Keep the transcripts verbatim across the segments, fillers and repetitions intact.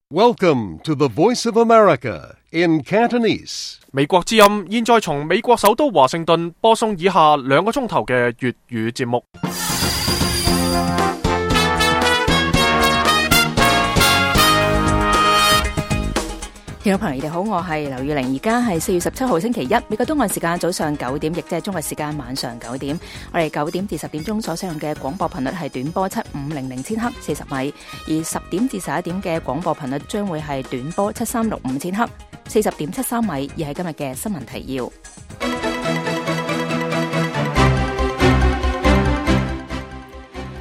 Welcome to the Voice of America in Cantonese. 美國之音現在從美國首都華盛頓播送以下兩個鐘頭嘅粵語節目。聽眾朋友，你哋好，我係劉玉玲，而家係四月十七號星期一，美國東岸時間早上九點，亦即係中國時間晚上九點。我哋九點至十點鐘所使用嘅廣播頻率係短波七五零零千赫四十米，而十點至十一點嘅廣播頻率將會係短波七三六五千赫四十點七三米。而係今日嘅新聞提要。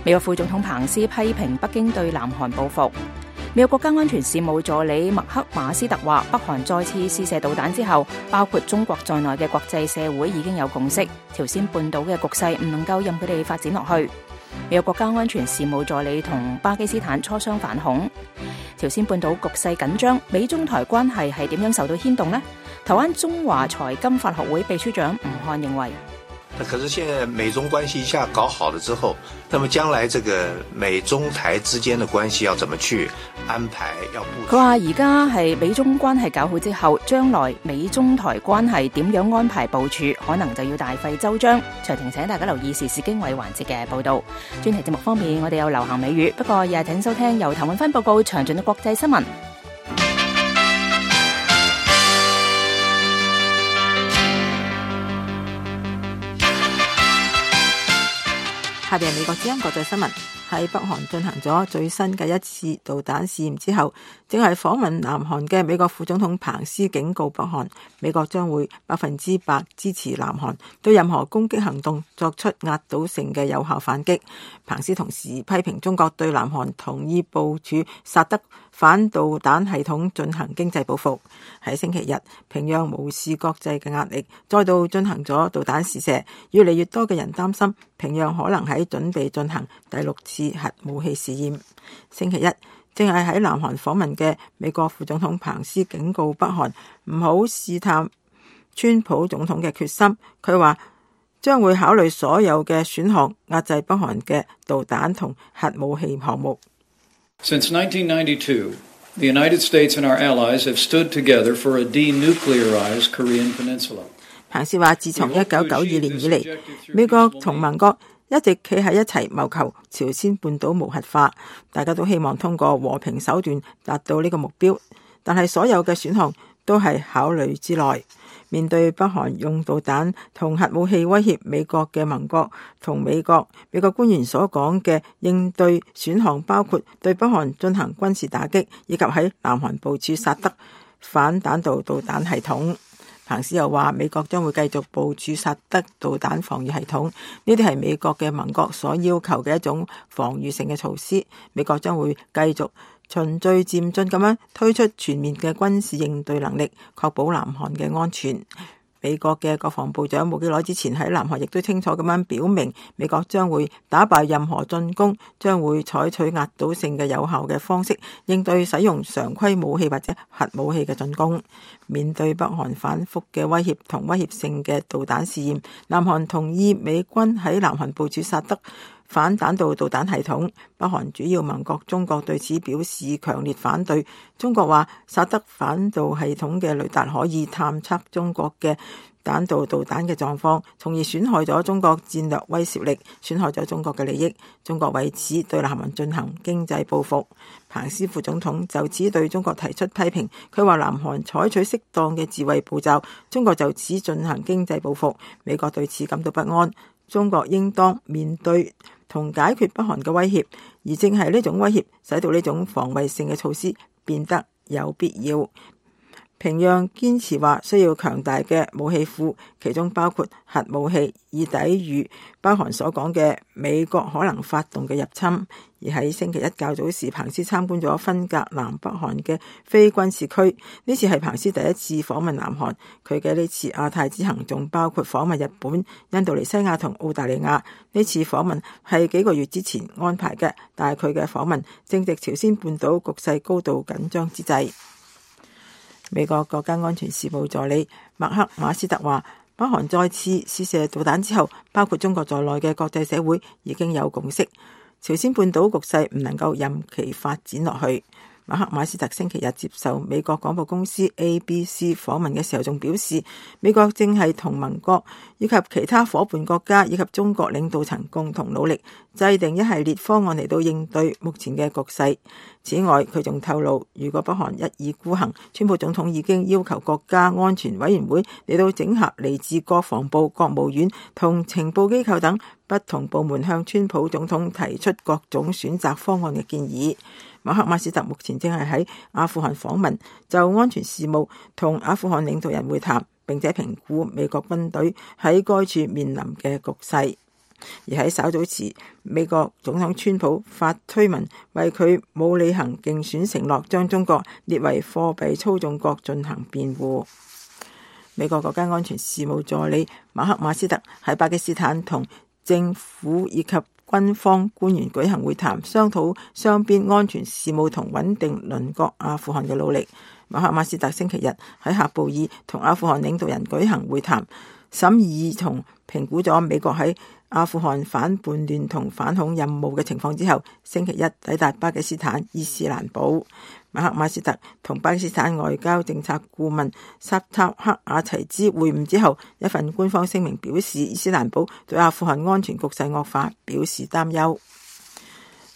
美國副總統彭斯批評北京對南韓報復。美國國家安全事務助理麥克馬斯特話，北韓再次試射導彈之後，包括中國在內嘅國際社會已經有共識，朝鮮半島嘅局勢唔能夠任佢哋發展落去。美國國家安全事務助理同巴基斯坦磋商反恐。朝鮮半島局勢緊張，美中台關係係點樣受到牽動呢？台灣中華財金法學會秘書長吳漢認為，可是現在美中關係一下搞好了之後，那麼將來這個美中台之間的關係要怎麼去安排？要部署。佢話而家係美中關係搞好之後，將來美中台關係點樣安排部署，可能就要大費周章。詳情請大家留意時事經緯環節嘅報道。專題節目方面，我哋有流行美語，不過日日請收聽由譚永芬報告詳盡嘅國際新聞。下邊美國之音國際新聞。喺北韓進行咗最新嘅一次導彈試驗之後，正係訪問南韓嘅美國副總統彭斯警告北韓，美國將會百分之百支持南韓對任何攻擊行動作出壓倒性嘅有效反擊。彭斯同時批評中國對南韓同意部署薩德反導彈系統進行經濟報復。喺星期日，平壤無視國際嘅壓力，再度進行咗導彈試射。越嚟越多嘅人擔心平壤可能喺準備進行第六次核武器試驗。星期一，正係喺南韓訪問嘅美國副總統彭斯警告北韓唔好試探川普總統嘅決心。佢話將會考慮所有嘅選項，壓制北韓嘅導彈同核武器項目。Since nineteen ninety-two, the United States and our allies have stood together for a denuclearized Korean Peninsula. 彭斯話，自從一九九二年以嚟，美國同盟國一直企喺一齊謀求朝鮮半島無核化，大家都希望通過和平手段達到呢個目標，但係所有嘅選項都係考慮之內。面對北韓用導彈同核武器威脅美國嘅盟國同美國，美國官員所講嘅應對選項包括對北韓進行軍事打擊，以及喺南韓部署薩德反彈道導彈系統。彭斯又話，美國將會繼續部署薩德導彈防禦系統，呢啲係美國嘅盟國所要求嘅一種防禦性嘅措施。美國將會繼續循序漸進咁樣推出全面嘅軍事應對能力，確保南韓嘅安全。美國嘅國防部長冇幾耐之前喺南韓亦都清楚咁樣表明，美國將會打敗任何進攻，將會採取壓倒性嘅有效嘅方式應對使用常規武器或者核武器嘅進攻。面對北韓反覆嘅威脅同威脅性嘅導彈試驗，南韓同意美軍喺南韓部署薩德反彈道導彈系統。北韓主要盟國中國對此表示強烈反對。中國話，薩德反導系統嘅雷達可以探測中國嘅彈道導彈嘅狀況，從而損害咗中國戰略威懾力，損害咗中國嘅利益。中國為此對南韓進行經濟報復。彭斯副總統就此對中國提出批評，佢話南韓採取適當嘅自衛步驟，中國就此進行經濟報復。美國對此感到不安，中國應當面對同解決北韓嘅威脅，而正係呢種威脅使到呢種防衛性嘅措施變得有必要。平壤堅持話需要強大嘅武器庫，其中包括核武器，以抵禦北韓所講嘅美國可能發動嘅入侵。而喺星期一較早時，彭斯參觀咗分隔南北韓嘅非軍事區，呢次係彭斯第一次訪問南韓。佢嘅呢次亞太之行仲包括訪問日本、印度尼西亞同澳大利亞。呢次訪問係幾個月之前安排嘅，但係佢嘅訪問正值朝鮮半島局勢高度緊張之際。美國國家安全事務助理麥克馬斯特話，北韓再次試射導彈之後，包括中國在內嘅國際社會已經有共識，朝鮮半島局勢唔能夠任其發展落去。馬克馬斯特星期日接受美國廣播公司 A B C 訪問嘅時候，仲表示美國正係同盟國以及其他夥伴國家以及中國領導層共同努力，制定一系列方案嚟到應對目前嘅局勢。此外，佢仲透露，如果北韓一意孤行，川普總統已經要求國家安全委員會嚟到整合嚟自國防部、國務院同情報機構等不同部門，向川普總統提出各種選擇方案嘅建議。馬克馬斯特目前正係喺阿富汗訪問，就安全事務同阿富汗領導人會談，並且評估美國軍隊喺該處面臨嘅局勢。而喺稍早時，美國總統川普發推文為佢冇履行競選承諾，將中國列為貨幣操縱國進行辯護。美國國家安全事務助理馬克馬斯特喺巴基斯坦同政府以及軍方官員舉行會談，商討雙邊安全事務同穩定鄰國阿富汗嘅努力。馬克馬斯特星期日喺喀布爾同阿富汗領導人舉行會談，審議同評估咗美國喺阿富汗反叛亂同反恐任務嘅情況之後，星期一抵達巴基斯坦伊斯蘭堡。馬克馬斯特同巴基斯坦外交政策顧問薩塔克阿齊茲會晤之後，一份官方聲明表示，伊斯蘭堡對阿富汗安全局勢惡化表示擔憂。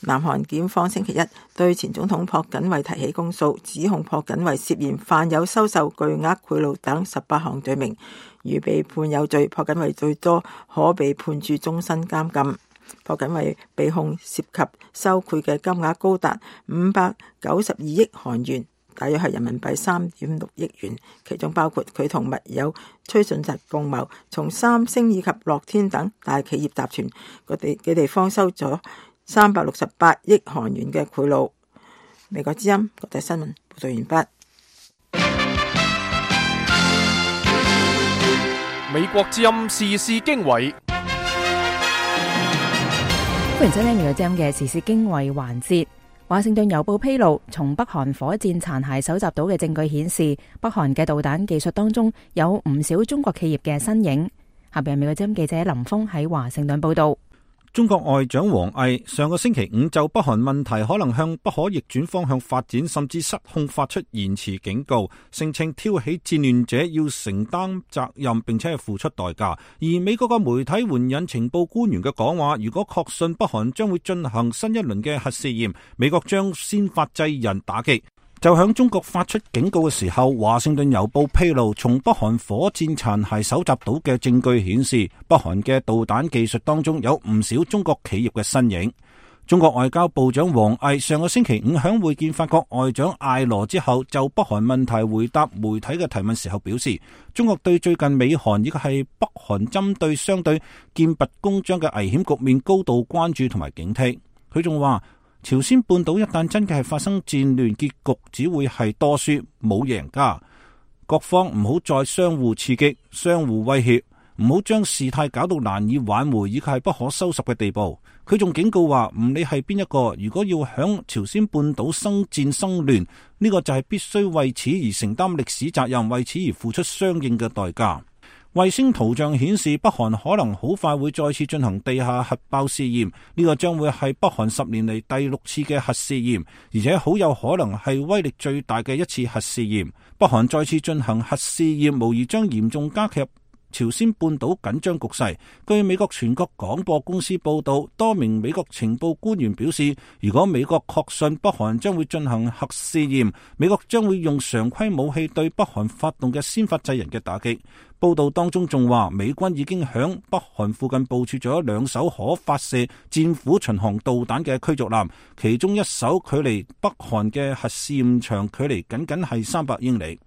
南韓檢方星期一對前總統朴槿惠提起公訴，指控朴槿惠涉嫌犯有收受巨額賄賄等十八項罪名。如被判有罪，朴槿惠最多可被判處終身監禁。朴槿惠被控涉及收賄嘅金額高達五百九十二億韓元，大約係人民幣三點六億元，其中包括佢同密友崔順實共謀，從三星以及樂天等大企業集團嗰地嘅地方收咗三百六十八億韓元嘅賄賂。美國之音國際新聞報道完畢。美國之音時事經緯，歡迎收聽美國之音嘅時事經緯環節。華盛頓郵報披露，從北韓火箭殘骸搜集到嘅證據顯示，北韓嘅導彈技術當中有唔少中國企業嘅身影。下邊係美國之音記者林峰喺華盛頓報道。中國外長王毅上個星期五就北韓問題可能向不可逆轉方向發展，甚至失控發出延遲警告，聲稱挑起戰亂者要承擔責任並且係付出代價。而美國嘅媒體援引情報官員嘅講話，如果確信北韓將會進行新一輪嘅核試驗，美國將先發制人打擊。就響中國發出警告嘅時候，華盛頓郵報披露，從北韓火箭殘骸搜集到嘅證據顯示，北韓嘅導彈技術當中有唔少中國企業嘅身影。中國外交部長王毅上個星期五響會見法國外長艾羅之後，就北韓問題回答媒體嘅提問時候表示，中國對最近美韓以及係北韓針對相對劍拔弩張嘅危險局面高度關注同埋警惕。佢仲話，朝鮮半島一旦真嘅係發生戰亂，結局只會係多輸冇贏家。各方唔好再相互刺激、相互威脅，唔好將事態搞到難以挽回以及係不可收拾嘅地步。佢仲警告話，唔理係邊一個，如果要響朝鮮半島生戰生亂，呢個就係必須為此而承擔歷史責任，為此而付出相應嘅代價。衛星圖像顯示，北韓可能好快會再次進行地下核爆試驗，呢個將會係北韓十年嚟第六次嘅核試驗，而且好有可能係威力最大嘅一次核試驗。北韓再次進行核試驗，無疑將嚴重加劇朝鮮半島緊張局勢。據美國全國廣播公司報道，多名美國情報官員表示，如果美國確信北韓將會進行核試驗，美國將會用常規武器對北韓發動嘅先發制人嘅打擊。報道當中仲話，美軍已經響北韓附近部署咗兩艘可發射戰斧巡航導彈嘅驅逐艦，其中一艘距離北韓嘅核試驗場距離僅僅係三百英里。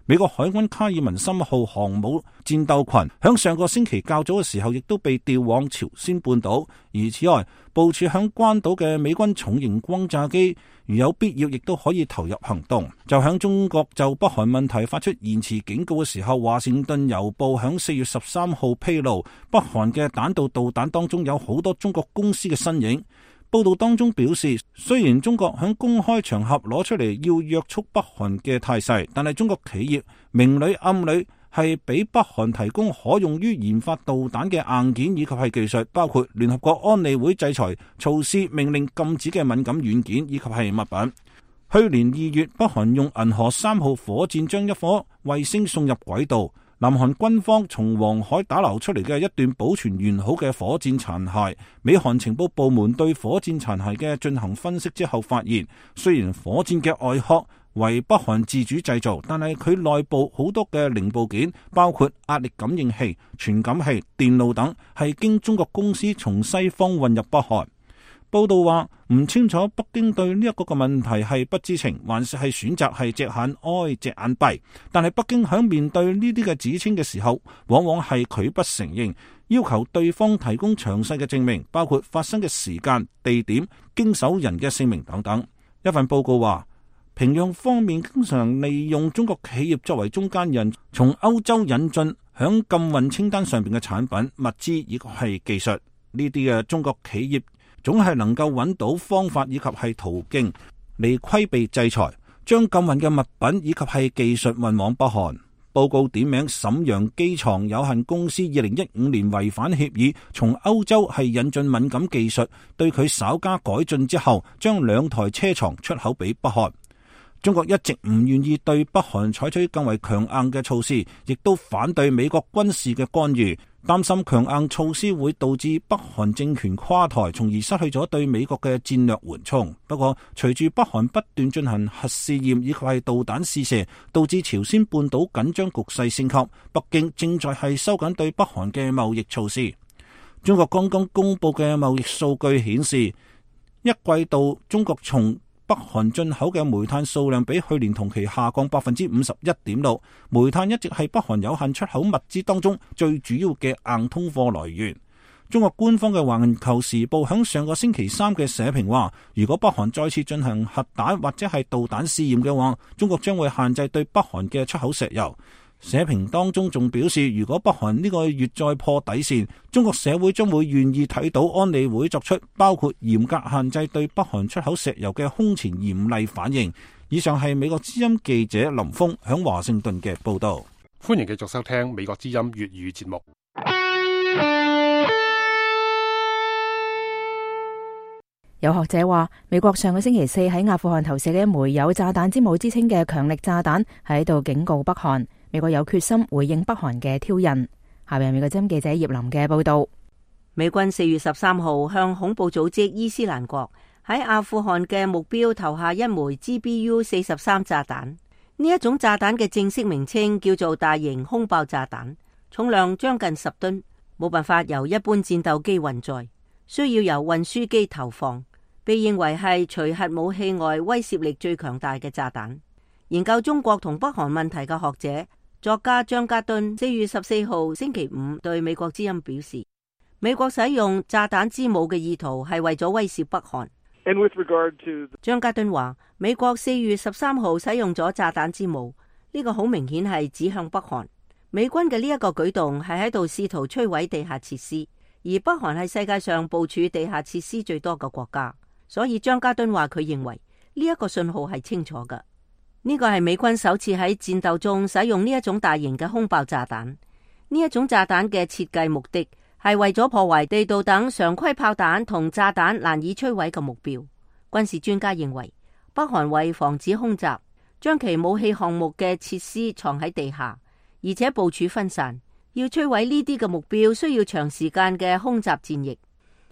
美國海軍卡爾文森號航母戰鬥群響上個星期較早嘅時候，亦都被調往朝鮮半島。而此外，部署響關島嘅美軍重型轟炸機，如有必要，亦都可以投入行動。就響中國就北韓問題發出延遲警告嘅時候，華盛頓郵報響四月十三號披露，北韓嘅彈道導彈當中有好多中國公司嘅身影。報道當中表示，雖然中國響公開場合攞出嚟要約束北韓嘅態勢，但係中國企業明裏暗裏係俾北韓提供可用於研發導彈嘅硬件以及係技術，包括聯合國安理會制裁措施命令禁止嘅敏感軟件以及係物品。去年二月，北韓用銀河三號火箭將一顆衛星送入軌道。南韓軍方從黃海打撈出嚟嘅一段保存完好嘅火箭殘骸，美韓情報部門對火箭殘骸嘅進行分析之後發現，雖然火箭嘅外殼為北韓自主製造，但係佢內部好多嘅零部件，包括壓力感應器、傳感器、電路等，係經中國公司從西方運入北韓。報道話唔清楚北京對呢一個嘅問題係不知情，還是係選擇係隻眼開隻眼閉。但係北京響面對呢啲嘅指稱嘅時候，往往係拒不承認，要求對方提供詳細嘅證明，包括發生嘅時間、地點、經手人嘅姓名等等。一份報告話，平壤方面經常利用中國企業作為中間人，從歐洲引進響禁運清單上邊嘅產品、物資以及係技術。呢啲嘅中國企業總係能夠揾到方法以及係途徑嚟規避制裁，將禁運嘅物品以及係技術運往北韓。報告點名瀋陽機床有限公司二零一五年違反協議，從歐洲係引進敏感技術，對佢稍加改進之後，將兩台車床出口俾北韓。中國一直唔願意對北韓採取更為強硬嘅措施，亦都反對美國軍事嘅干預，擔心強硬措施會導致北韓政權垮台，從而失去咗對美國嘅戰略緩衝。不過，隨住北韓不斷進行核試驗以及係導彈試射，導致朝鮮半島緊張局勢升級，北京正在係收緊對北韓嘅貿易措施。中國剛剛公布嘅貿易數據顯示，一季度中國從北韓進口嘅煤炭數量比去年同期下降百分之五十一點六，煤炭一直係北韓有限出口物資當中最主要嘅硬通貨來源。中國官方嘅《環球時報》響上個星期三嘅社評話，如果北韓再次進行核彈或者係導彈試驗嘅話，中國將會限制對北韓嘅出口石油。社評當中仲表示，如果北韓呢個月再破底線，中國社會將會願意睇到安理會作出包括嚴格限制對北韓出口石油嘅空前嚴厲反應。以上係美國之音記者林峰響華盛頓嘅報道。歡迎繼續收聽美國之音粵語節目。有學者話，美國上個星期四喺阿富汗投射嘅一枚有炸彈之母之稱嘅強力炸彈，喺度警告北韓，美國有決心回應北韓嘅挑釁。下面係美國之音記者葉林嘅報道。美軍四月十三號向恐怖組織伊斯蘭國喺阿富汗嘅目標投下一枚 G B U 四十三炸彈。呢一種炸彈嘅正式名稱叫做大型空爆炸彈，重量將近十噸，冇辦法由一般戰鬥機運載，需要由運輸機投放，被認為係除核武器外威懾力最強大嘅炸彈。研究中國同北韓問題嘅學者作家張家敦四月十四號星期五對美國之音表示，美國使用炸彈之母嘅意圖係為咗威懾北韓。And with regard to... 張家敦話，美國四月十三號使用咗炸彈之母，呢個好明顯係指向北韓。美軍嘅呢一個舉動係喺度試圖摧毀地下設施，而北韓係世界上部署地下設施最多嘅國家，所以張家敦話佢認為呢一個信號係清楚嘅。呢個係美軍首次喺戰鬥中使用呢一種大型嘅空爆炸彈。呢一種炸彈嘅設計目的係為咗破壞地道等常規炮彈同炸彈難以摧毀嘅目標。軍事專家認為，北韓為防止空襲，將其武器項目嘅設施藏喺地下，而且部署分散。要摧毀呢啲嘅目標，需要長時間嘅空襲戰役。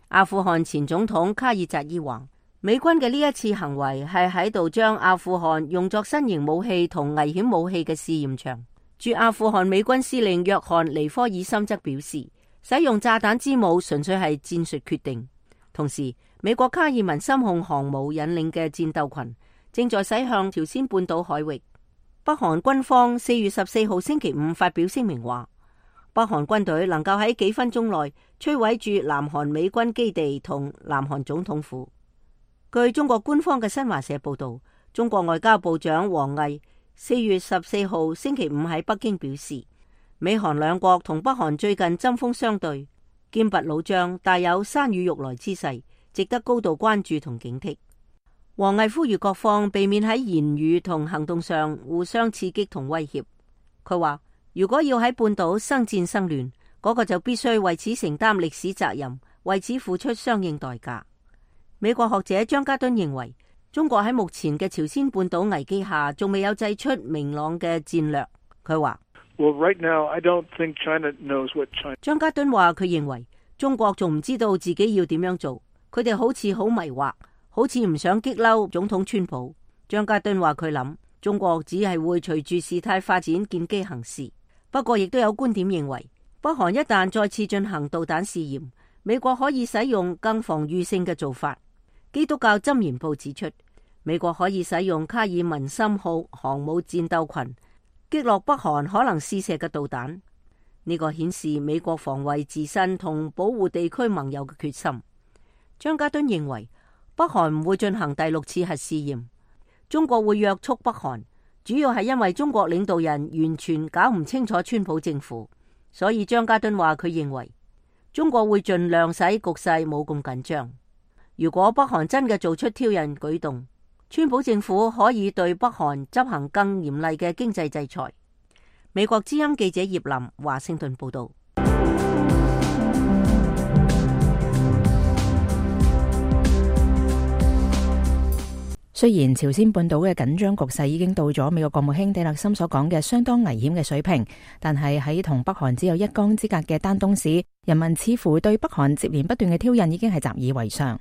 阿富汗前總統卡爾扎伊話，美軍嘅呢一次行為係喺度將阿富汗用作新型武器同危險武器嘅試驗場。駐阿富汗美軍司令約翰尼科爾森則表示，使用炸彈之母純粹係戰術決定。同時，美國卡爾文森控航母引領嘅戰鬥群正在駛向朝鮮半島海域。北韓軍方四月十四號星期五發表聲明話，北韓軍隊能夠喺幾分鐘內摧毀駐南韓美軍基地同南韓總統府。據中國官方嘅新華社報道，中國外交部長王毅四月十四號星期五喺北京表示，美韓兩國同北韓最近針鋒相對，劍拔弩張，大有山雨欲來之勢，值得高度關注同警惕。王毅呼籲各方避免喺言語同行動上互相刺激同威脅。佢話，如果要喺半島生戰生亂，嗰個就必須為此承擔歷史責任，為此付出相應代價。美國學者張家敦認為，中國喺目前嘅朝鮮半島危機下，仲未有製出明朗嘅戰略。佢話：Well, right now, I don't think China knows what China. 張家敦話：佢認為中國仲唔知道自己要點樣做，佢哋好似好迷惑，好似唔想激嬲總統川普。張家敦話：佢諗中國只係會隨住事態發展見機行事。不過，亦都有觀點認為，北韓一旦再次進行導彈試驗，美國可以使用更防禦性嘅做法。基督教箴言報指出，美國可以使用卡爾文森號航母戰鬥群擊落北韓可能試射嘅導彈。呢個顯示美國防衛自身同保護地區盟友嘅決心。張家敦認為，北韓唔會進行第六次核試驗，中國會約束北韓，主要係因為中國領導人完全搞唔清楚川普政府，所以張家敦話佢認為中國會盡量使局勢冇咁緊張。如果北韓真嘅做出挑釁舉動，川普政府可以對北韓執行更嚴厲嘅經濟制裁。美國之音記者葉林華盛頓報道。雖然朝鮮半島嘅緊張局勢已經到咗美國國務卿蒂勒森所講嘅相當危險嘅水平，但係喺同北韓只有一江之隔嘅丹東市，人民似乎對北韓接連不斷嘅挑釁已經係習以為常。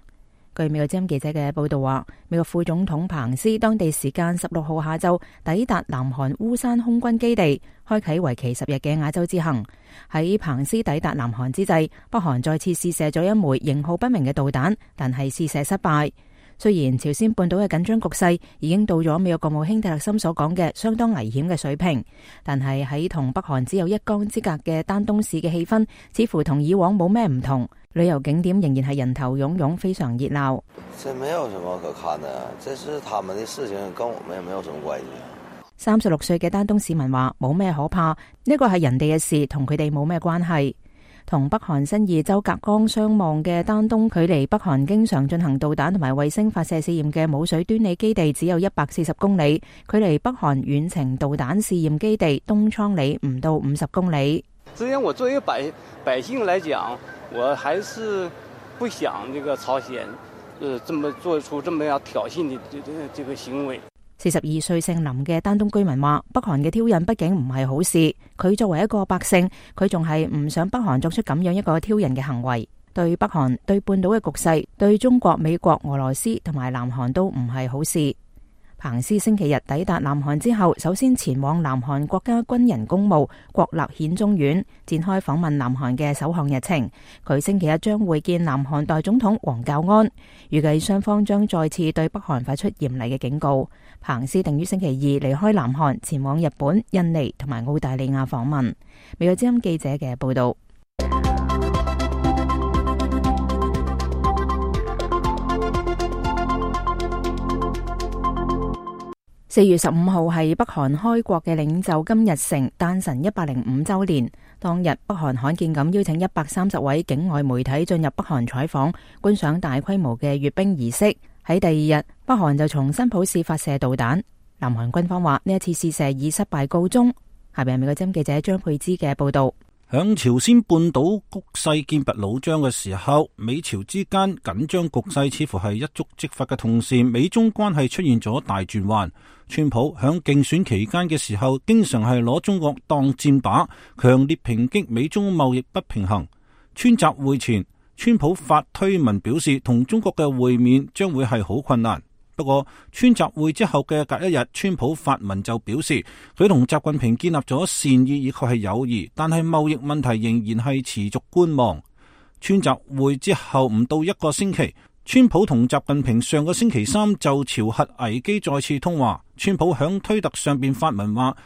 據美國之音記者嘅報道話，美國副總統彭斯當地時間十六號下晝抵達南韓烏山空軍基地，開啟為期十日嘅亞洲之行。喺彭斯抵達南韓之際，北韓再次試射咗一枚型號不明嘅導彈，但係試射失敗。雖然朝鮮半島嘅緊張局勢已經到咗美國國務卿蒂勒森所講嘅相當危險嘅水平，但係喺同北韓只有一江之隔嘅丹東市嘅氣氛似乎同以往冇咩唔同。旅遊景點仍然係人頭湧湧，非常熱鬧。這沒有什麼可看的，這是他們的事情，跟我們也沒有什麼關係。三十六歲嘅丹東市民話：冇咩可怕，呢個係人哋嘅事，同佢哋冇咩關係。同北韓新義州隔江相望嘅丹東，距離北韓經常進行導彈同埋衛星發射試驗嘅舞水端里基地只有一百四十公里，距離北韓遠程導彈試驗基地東倉里唔到五十公里。之前我作為百百姓來講，我還是不想這個朝鮮，呃，這麼做出這麼樣挑釁的這這這個行為。四十二歲姓林嘅丹東居民話：北韓嘅挑釁畢竟唔係好事，佢作為一個百姓，佢仲係唔想北韓作出咁樣一個挑釁嘅行為。對北韓、對半島嘅局勢、對中國、美國、俄羅斯同埋南韓都唔係好事。彭斯星期日抵達南韓之後，首先前往南韓國家軍人公墓國立顯忠院，展開訪問南韓嘅首項日程。佢星期一將會見南韓代總統黃教安，預計雙方將再次對北韓發出嚴厲嘅警告。彭斯定於星期二離開南韓，前往日本、印尼同埋澳大利亞訪問。美國之音記者嘅報道。四月十五號係北韓開國嘅領袖金日成誕辰一百零五周年。當日北韓罕見咁邀請一百三十位境外媒體進入北韓採訪，觀賞大規模嘅閱兵儀式。喺第二日，北韓就從新浦市發射導彈。南韓軍方話呢一次試射以失敗告終。下邊係美國之音記者張佩芝嘅報道。響朝鮮半島局勢劍拔弩張嘅時候，美朝之間緊張局勢似乎係一觸即發嘅同時，美中關係出現咗大轉彎。川普響競選期間嘅時候，經常係攞中國當箭靶，強烈抨擊美中貿易不平衡。川習會前，川普發推文表示，同中國嘅會面將會係好困難。不過，川習會之後嘅隔一日，川普發文就表示，佢同習近平建立咗善意以及係友誼，但係貿易問題仍然係持續觀望。川習會之後唔到一個星期，川普同習近平上個星期三就朝核危機再次通話。川普響推特上邊發文話，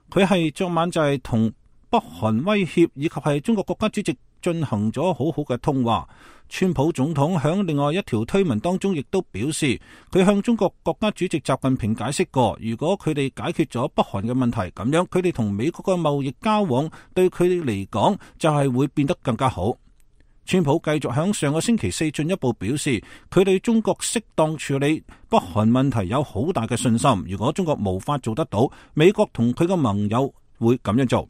佢係昨晚就係同北韓威脅以及係中國國家主席進行咗好好嘅通話。川普總統響另外一條推文當中亦都表示，佢向中國國家主席習近平解釋過，如果佢哋解決咗北韓嘅問題，咁樣佢哋同美國嘅貿易交往對佢哋嚟講就係會變得更加好。川普繼續響上個星期四進一步表示，佢對中國適當處理北韓問題有好大嘅信心。如果中國無法做得到，美國同佢嘅盟友會咁樣做。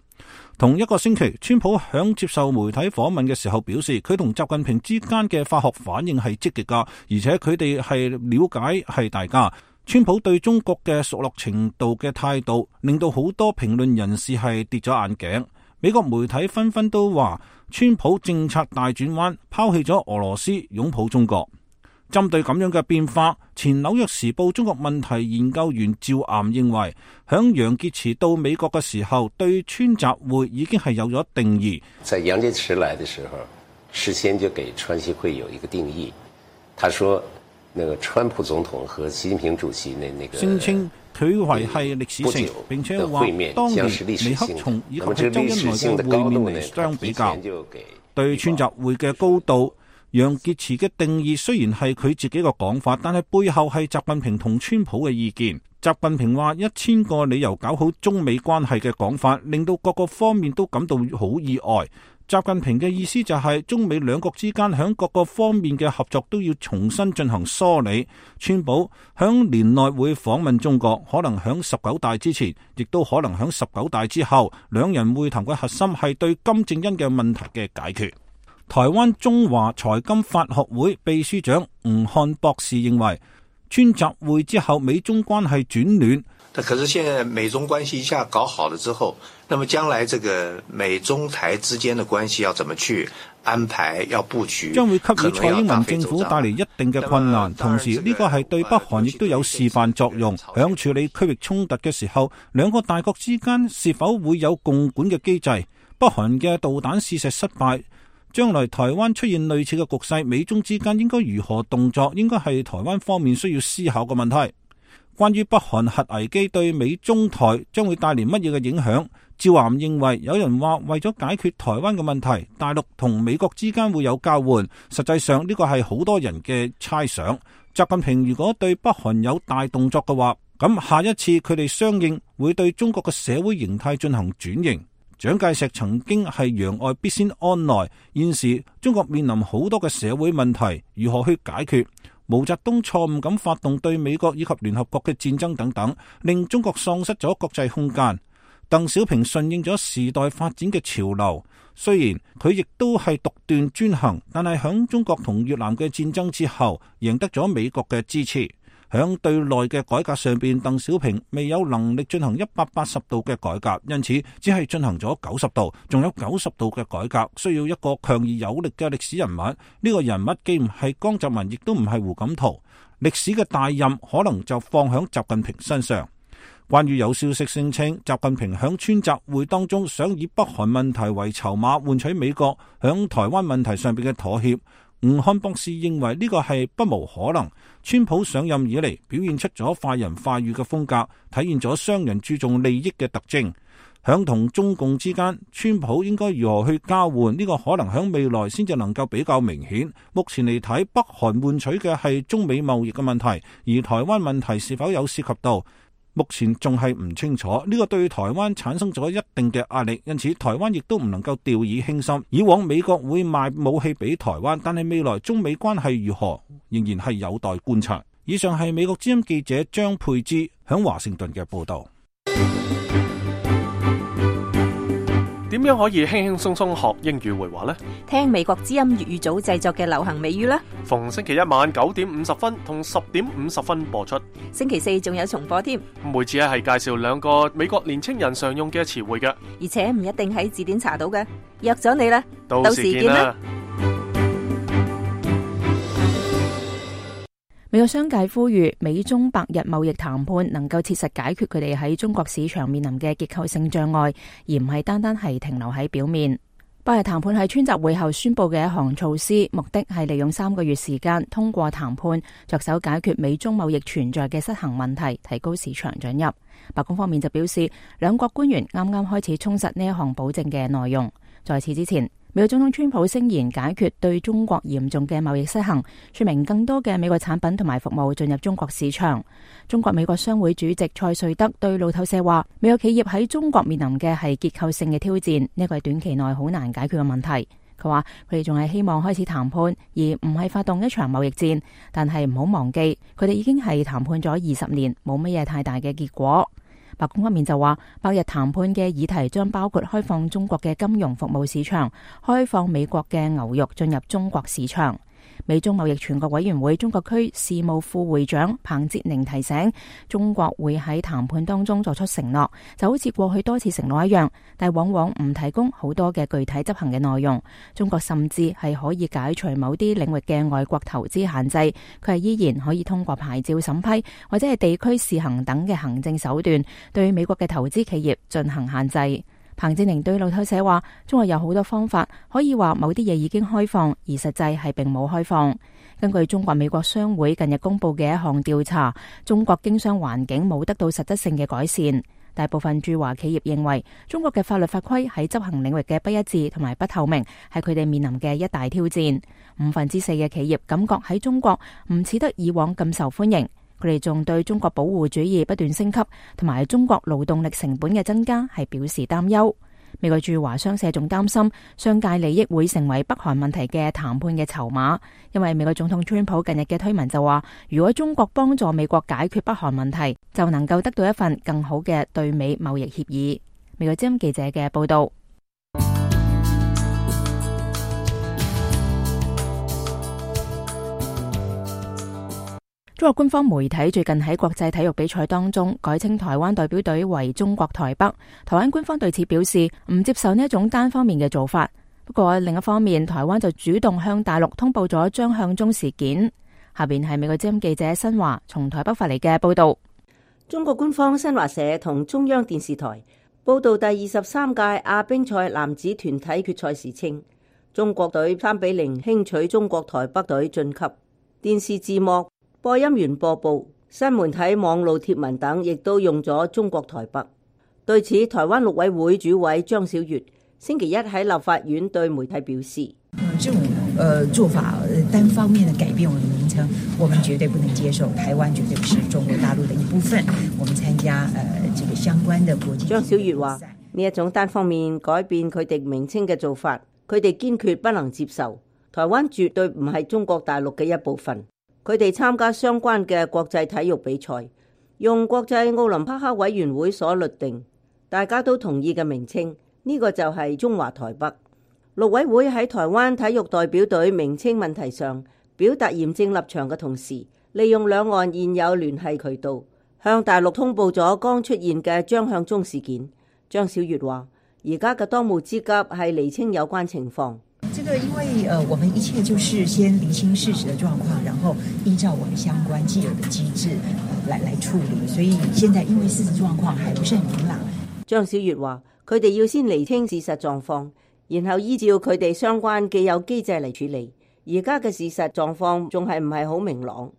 同一個星期，川普響接受媒體訪問嘅時候表示，佢同習近平之間嘅化學反應係積極噶，而且佢哋係了解係大家。川普對中國嘅熟絡程度嘅態度，令到好多評論人士係跌咗眼鏡。美國媒體紛紛都話，川普政策大轉彎，拋棄咗俄羅斯，擁抱中國。針對咁樣嘅變化，前紐約時報中國問題研究員趙岩認為，響楊潔篪到美國嘅時候，對川習會已經係有咗定義。在楊潔篪來的時候，事先就給川習會有一個定義。他說，那個川普總統和習近平主席那那個聲稱佢為係歷史性，並且話當年尼克松以及係周恩來嘅會面嚟相比較，對川習會嘅高度。楊潔篪嘅定義雖然係佢自己個講法，但係背後係習近平同川普嘅意見。習近平話一千個理由搞好中美關係嘅講法，令到各個方面都感到好意外。習近平嘅意思就係中美兩國之間響各個方面嘅合作都要重新進行梳理。川普響年內會訪問中國，可能響十九大之前，亦都可能響十九大之後。兩人會談嘅核心係對金正恩嘅問題嘅解決。台灣中華財金法學會秘書長吳漢博士認為，川習會之後美中關係轉暖。可是現在美中關係一下搞好了之後，那麼將來這個美中台之間的關係要怎麼去安排，要布局，將會給予蔡英文政府帶嚟一定嘅困難。同時呢個係對北韓亦都有示範作用。響處理區域衝突嘅時候，兩個大國之間是否會有共管嘅機制？北韓嘅導彈試射失敗，將來台灣出現類似嘅局勢，美中之間應該如何動作，應該係台灣方面需要思考嘅問題。關於北韓核危機對美中台將會帶嚟乜嘢嘅影響，趙岩認為有人話為咗解決台灣嘅問題，大陸同美國之間會有交換，實際上呢個係好多人嘅猜想。習近平如果對北韓有大動作嘅話，咁下一次佢哋相應會對中國嘅社會形態進行轉型。蔣介石曾經係攘外必先安內，現時中國面臨好多嘅社會問題，如何去解決？毛澤東錯誤咁發動對美國以及聯合國嘅戰爭等等，令中國喪失咗國際空間。鄧小平順應咗時代發展嘅潮流，雖然佢亦都係獨斷專行，但係響中國同越南嘅戰爭之後，贏得咗美國嘅支持。響對內嘅改革上邊，鄧小平未有能力進行一百八十度嘅改革，因此只係進行咗九十度，仲有九十度嘅改革，需要一個強而有力嘅歷史人物。呢、這個人物既唔係江澤民，亦都唔係胡錦濤，歷史嘅大任可能就放響習近平身上。關於有消息聲稱習近平響川習會當中想以北韓問題為籌碼換取美國響台灣問題上邊嘅妥協，吳漢博士認為呢個係不無可能。川普上任以嚟表現出咗快人快語嘅風格，體現咗商人注重利益嘅特徵。響同中共之間，川普應該如何去交換，呢個可能響未來先至能夠比較明顯。目前嚟睇，北韓換取嘅係中美貿易嘅問題，而台灣問題是否有涉及到，目前仲係唔清楚。呢個對台灣產生咗一定嘅壓力，因此台灣亦都唔能夠掉以輕心。以往美國會賣武器俾台灣，但係未來中美關係如何，仍然係有待觀察。以上係美國之音記者張佩芝響華盛頓嘅報道。點樣可以輕輕鬆鬆學英語會話呢？聽美國之音粵語組製作嘅流行美語啦。逢星期一晚九點五十分同十點五十分播出。星期四仲有重播添。每次咧係介紹兩個美國年青人常用嘅詞彙嘅，而且唔一定喺字典查到嘅。約咗你啦，到時見啦。美國商界呼籲美中百日貿易談判能夠切實解決佢哋喺中國市場面臨嘅結構性障礙，而唔係單單係停留喺表面。百日談判係川習會後宣布嘅一項措施，目的係利用三個月時間通過談判，着手解決美中貿易存在嘅失衡問題，提高市場准入。白宮方面就表示，兩國官員啱啱開始充實呢一項保證嘅內容。在此之前，美國總統川普聲言解決對中國嚴重嘅貿易失衡，說明更多嘅美國產品同埋服務進入中國市場。中國美國商會主席蔡瑞德對路透社話，美國企業喺中國面臨嘅係結構性嘅挑戰，呢個係短期內好難解決嘅問題。佢話佢哋仲係希望開始談判，而唔係發動一場貿易戰，但係唔好忘記，佢哋已經係談判咗二十年，冇乜嘢太大嘅結果。白宮方面就話，百日談判嘅議題將包括開放中國嘅金融服務市場，開放美國嘅牛肉進入中國市場。美中貿易全國委員會中國區事務副會長彭捷寧提醒，中國會喺談判當中作出承諾，就好似過去多次承諾一樣，但往往唔提供好多嘅具體執行嘅內容。中國甚至係可以解除某啲領域嘅外國投資限制，佢係依然可以通過牌照審批或者係地區試行等嘅行政手段，對美國嘅投資企業進行限制。彭捷寧對路透社話，中國有好多方法可以話某啲嘢已經開放，而實際係並冇開放。根據中國美國商會近日公布嘅一項調查，中國經商環境冇得到實質性嘅改善。大部分駐華企業認為，中國嘅法律法規喺執行領域嘅不一致同埋不透明，係佢哋面臨嘅一大挑戰。五分之四嘅企業感覺喺中國唔似得以往咁受歡迎。佢哋仲對中國保護主義不斷升級同埋中國勞動力成本嘅增加係表示擔憂。美國駐華商社仲擔心商界利益會成為北韓問題嘅談判嘅籌碼，因為美國總統川普近日嘅推文就話，如果中國幫助美國解決北韓問題，就能夠得到一份更好嘅對美貿易協議。美國之音記者嘅報道。中國官方媒體最近喺國際體育比賽當中改稱台灣代表隊為中國台北，台灣官方對此表示唔接受呢一種單方面嘅做法。不過另一方面，台灣就主動向大陸通報咗張向忠事件。下邊係美國之音記者新華從台北發嚟嘅報道。中國官方新華社同中央電視台報道第二十三屆亞乒賽男子團體決賽時稱，中國隊三比零輕取中國台北隊晉級。電視字幕、播音員播報、新媒體網路貼文等亦都用咗中國台北。對此，台灣陸委會主委張曉月星期一喺立法院對媒體表示：這種呃做法單方面的改變我們的名稱，我們絕對不能接受。台灣絕對不是中國大陸的一部分。我們參加呃這個相關的國際。張曉月話：呢一種單方面改變佢哋名稱嘅做法，佢哋堅決不能接受。台灣絕對唔係中國大陸嘅一部分。佢哋參加相關嘅國際體育比賽，用國際奧林匹克委員會所律定，大家都同意嘅名稱，呢個就係中華台北。陸委會喺台灣體育代表隊名稱問題上表達嚴正立場嘅同時，利用兩岸現有聯繫渠道，向大陸通報咗剛出現嘅張向忠事件。張曉月話：而家嘅當務之急係釐清有關情況。這個因為呃，我們一切就是先釐清事實的狀況，然後依照我們相關既有的機制，呃，來來處理。所以現在因為事實狀況還不是很明朗。張曉月話：佢哋要先釐清事實狀況，然後依照佢哋相關既有機制嚟處理。而家嘅事實狀況仲係唔係好明朗？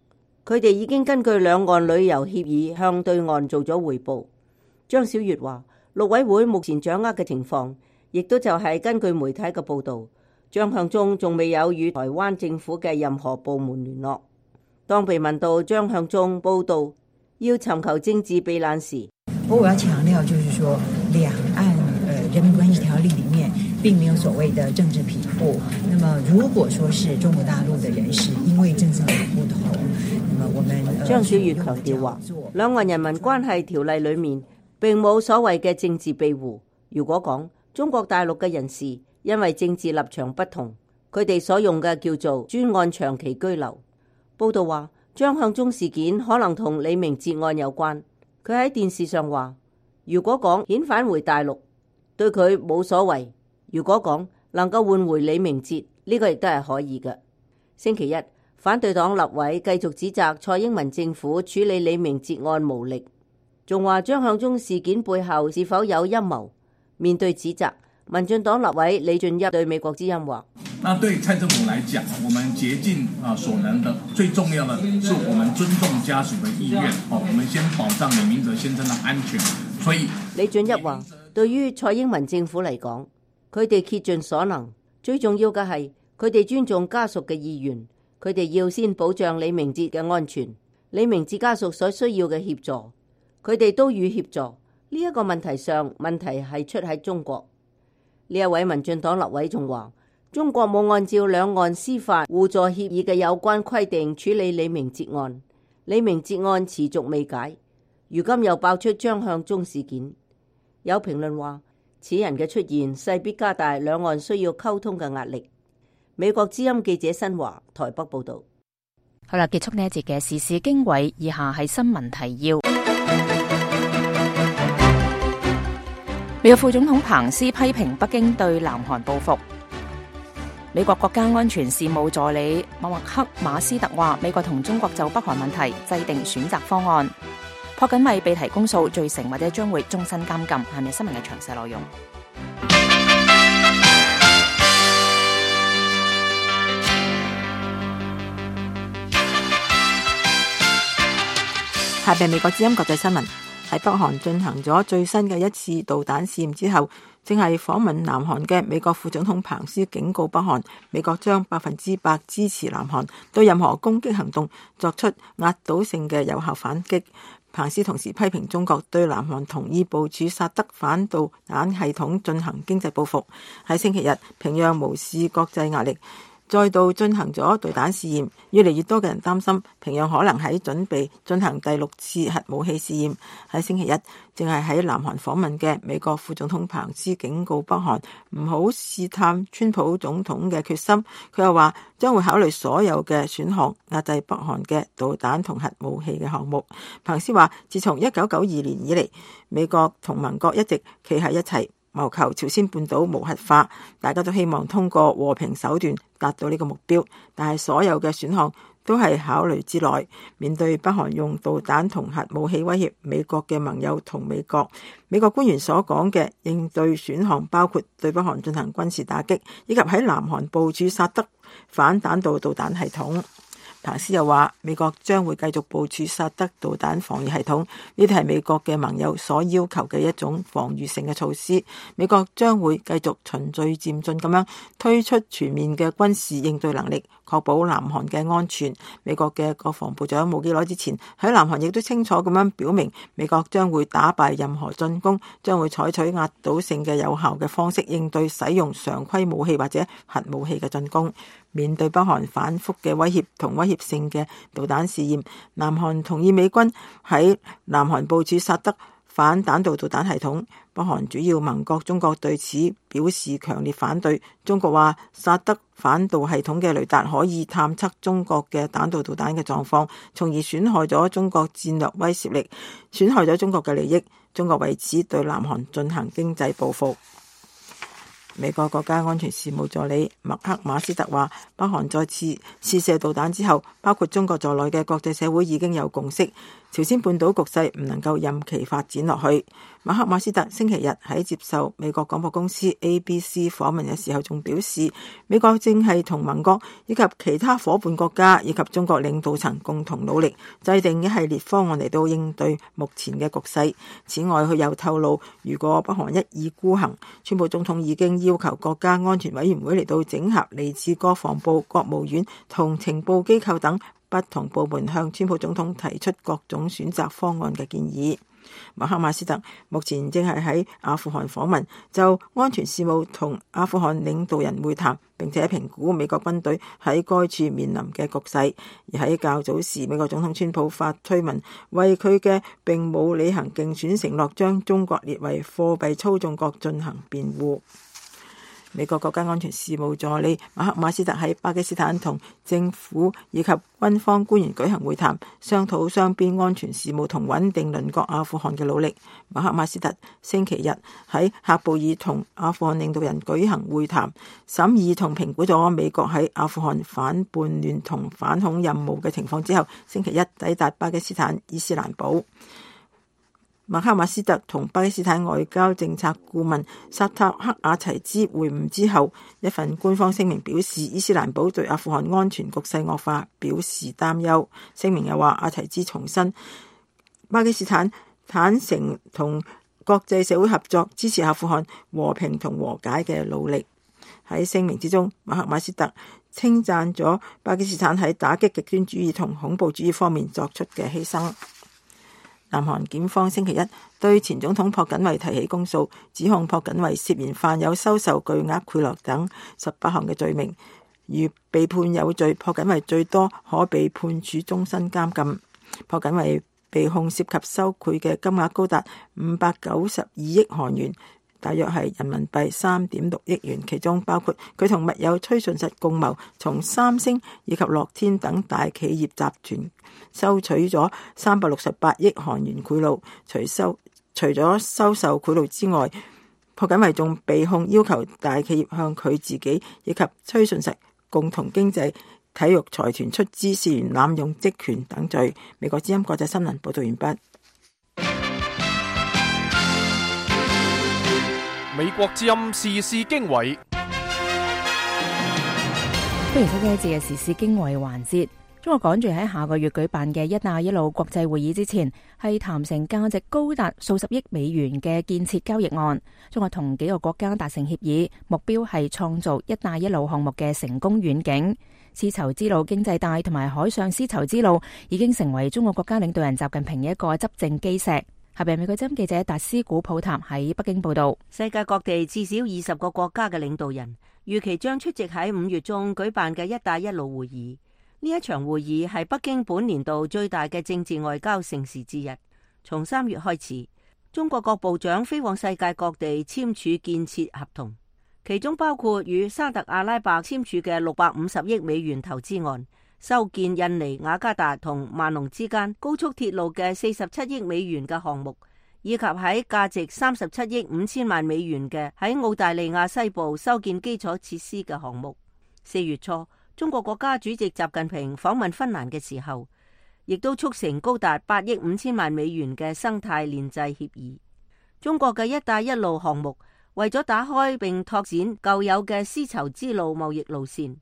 佢哋已經根據兩岸旅遊協議向對岸做咗匯報。張曉月話：陸委會目前掌握嘅情況，亦都就係根據媒體嘅報導。張向忠仲未有與台灣政府嘅任何部門聯絡。當被問到張向忠報道要尋求政治避難時，我我要強調，就是說兩岸呃人民關係條例裏面並沒有所謂的政治庇護。那麼如果說是中國大陸的人士因為政治的不同，那麼我們張曉月強調話，兩岸人民關係條例裏面並冇所謂嘅政治庇護。如果講中國大陸嘅人士因為政治立場不同，佢哋所用嘅叫做專案長期居留。報道話，張向忠事件可能同李明哲案有關。佢喺電視上話，如果講遣返回大陸，對佢冇所謂；如果講能夠換回李明哲，呢個亦都係可以嘅。星期一，反對黨立委繼續指責蔡英文政府處理李明哲案無力，仲話張向忠事件背後是否有陰謀。面對指責，民進黨立委李俊一對美國之音話：那對蔡政府來講，我們竭盡啊所能的，最重要的是我們尊重家屬的意願。哦，我們先保障李明哲先生的安全。所以李俊一話，對於蔡英文政府嚟講，佢哋竭盡所能，最重要嘅係佢哋尊重家屬嘅意願，佢哋要先保障李明哲嘅安全，李明哲家屬所需要嘅協助，佢哋都予協助。呢、這、一個問題上，問題係出喺中國。呢一位民進黨立委仲話，中國冇按照兩岸司法互助協議嘅有關規定處理李明哲案，李明哲案持續未解。如今又爆出張向忠事件。有評論話，此人嘅出現勢必加大兩岸需要溝通嘅壓力。美國之音記者新華台北報道。好啦，結束呢一節嘅時事經緯，以下係新聞提要。美國副總統彭斯批評北京對南韓報復。美國國家安全事務助理麥克馬斯特話，美國同中國就北韓問題制定選擇方案。朴槿惠被提公訴罪成或者將會終身監禁。係咪新聞嘅詳細內容？下邊美國之音國際新聞。喺北韓進行咗最新嘅一次導彈試驗之後，正係訪問南韓嘅美國副總統彭斯警告北韓，美國將百分之百支持南韓對任何攻擊行動作出壓倒性嘅有效反擊。彭斯同時批評中國對南韓同意部署薩德反導彈系統進行經濟報復。喺星期日，平壤無視國際壓力，再度進行咗導彈試驗，越嚟越多嘅人擔心平壤可能喺準備進行第六次核武器試驗。喺星期一，正係喺南韓訪問嘅美國副總統彭斯警告北韓唔好試探川普總統嘅決心。佢又話將會考慮所有嘅選項，壓制北韓嘅導彈同核武器嘅項目。彭斯話，自從一九九二年以嚟，美國同盟國一直企喺一齊，謀求朝鮮半島無核化，大家都希望通過和平手段達到呢個目標，但係所有嘅選項都係考慮之內。面對北韓用導彈同核武器威脅美國嘅盟友同美國，美國官員所講嘅應對選項包括對北韓進行軍事打擊，以及喺南韓部署薩德反彈道導彈系統。彭斯又話，美國將會繼續部署薩德導彈防禦系統，呢啲係美國嘅盟友所要求嘅一種防禦性嘅措施。美國將會繼續循序漸進咁樣推出全面嘅軍事應對能力，確保南韓嘅安全。美國嘅國防部長冇幾耐之前喺南韓亦都清楚咁樣表明，美國將會打敗任何進攻，將會採取壓倒性嘅有效嘅方式應對使用常規武器或者核武器嘅進攻。面對北韓反覆嘅威脅同威脅性嘅導彈試驗，南韓同意美軍喺南韓部署薩德反彈道導彈系統。北韓主要盟國中國對此表示強烈反對。中國話，薩德反導系統嘅雷達可以探測中國嘅彈道導彈嘅狀況，從而損害咗中國戰略威懾力，損害咗中國嘅利益。中國為此對南韓進行經濟報復。美國國家安全事務助理麥克馬斯特話，北韓再次試射導彈之後，包括中國在內嘅國際社會已經有共識，朝鮮半島局勢唔能夠任其發展落去。麥克馬斯特星期日喺接受美國廣播公司 A B C 訪問嘅時候，仲表示，美國正係同盟國以及其他夥伴國家以及中國領導層共同努力，制定一系列方案嚟到應對目前嘅局勢。此外，佢又透露，如果北韓一意孤行，川普總統已經要求國家安全委員會嚟到整合嚟自國防部、國務院同情報機構等不同部門，向川普總統提出各種選擇方案嘅建議。麥克馬斯特目前正係喺阿富汗訪問，就安全事務同阿富汗領導人會談，並且評估美國軍隊喺該處面臨嘅局勢。而喺較早時，美國總統川普發推文，為佢嘅並冇履行競選承諾將中國列為貨幣操縱國進行辯護。美國國家安全事務助理馬克馬斯特喺巴基斯坦同政府以及軍方官員舉行會談，商討雙邊安全事務同穩定鄰國阿富汗嘅努力。馬克馬斯特星期日喺喀布爾同阿富汗領導人舉行會談，審議同評估咗美國喺阿富汗反叛亂同反恐任務嘅情況之後，星期一抵達巴基斯坦伊斯蘭堡。馬克馬斯特同巴基斯坦外交政策顧問薩塔克阿齊茲會晤之後，一份官方聲明表示，伊斯蘭堡對阿富汗安全局勢惡化表示擔憂。聲明又話，阿齊茲重申巴基斯坦坦誠同國際社會合作，支持阿富汗和平同和解嘅努力。喺聲明之中，馬克馬斯特稱讚咗巴基斯坦喺打擊極端主義同恐怖主義方面作出嘅犧牲。南韓檢方星期一對前總統朴槿惠提起公訴，指控朴槿惠涉嫌犯有收受巨額賄賂等十八項嘅罪名。如被判有罪，朴槿惠最多可被判處終身監禁。朴槿惠被控涉及收賄嘅金額高達五百九十二億韓元，大約係人民幣三點六億元，其中包括佢同密友崔順實共謀從三星以及樂天等大企業集團收取咗三百六十八億韓元賄賂。除收除咗收受賄賂之外，朴槿惠仲被控要求大企業向佢自己以及崔順實共同經濟體育財團出資，涉嫌濫用職權等罪。美國之音國際新聞報道完畢。美國之音時事經緯，歡迎收聽呢節嘅時事經緯環節。中國趕住喺下個月舉辦嘅一帶一路國際會議之前，係談成價值高達數十億美元嘅建設交易案。中國同幾個國家達成協議，目標係創造一帶一路項目嘅成功遠景。絲綢之路經濟帶同埋海上絲綢之路已經成為中國國家領導人習近平嘅一個執政基石。下邊美國之音記者達斯古普塔喺北京報道。世界各地至少二十個國家嘅領導人預期將出席喺五月中舉辦嘅一帶一路會議。呢一場會議係北京本年度最大嘅政治外交盛事之一。從三月開始，中國各部長飛往世界各地簽署建設合同，其中包括與沙特阿拉伯簽署嘅六百五十億美元投資案，修建印尼雅加達同萬隆之間高速鐵路嘅四十七億美元嘅項目，以及喺價值三十七億五千萬美元嘅喺澳大利亞西部修建基礎設施嘅項目。四月初，中國國家主席習近平訪問芬蘭嘅時候，亦都促成高達八億五千萬美元嘅生態鏈制協議。中國嘅一帶一路項目為咗打開並拓展舊有嘅絲綢之路貿易路線，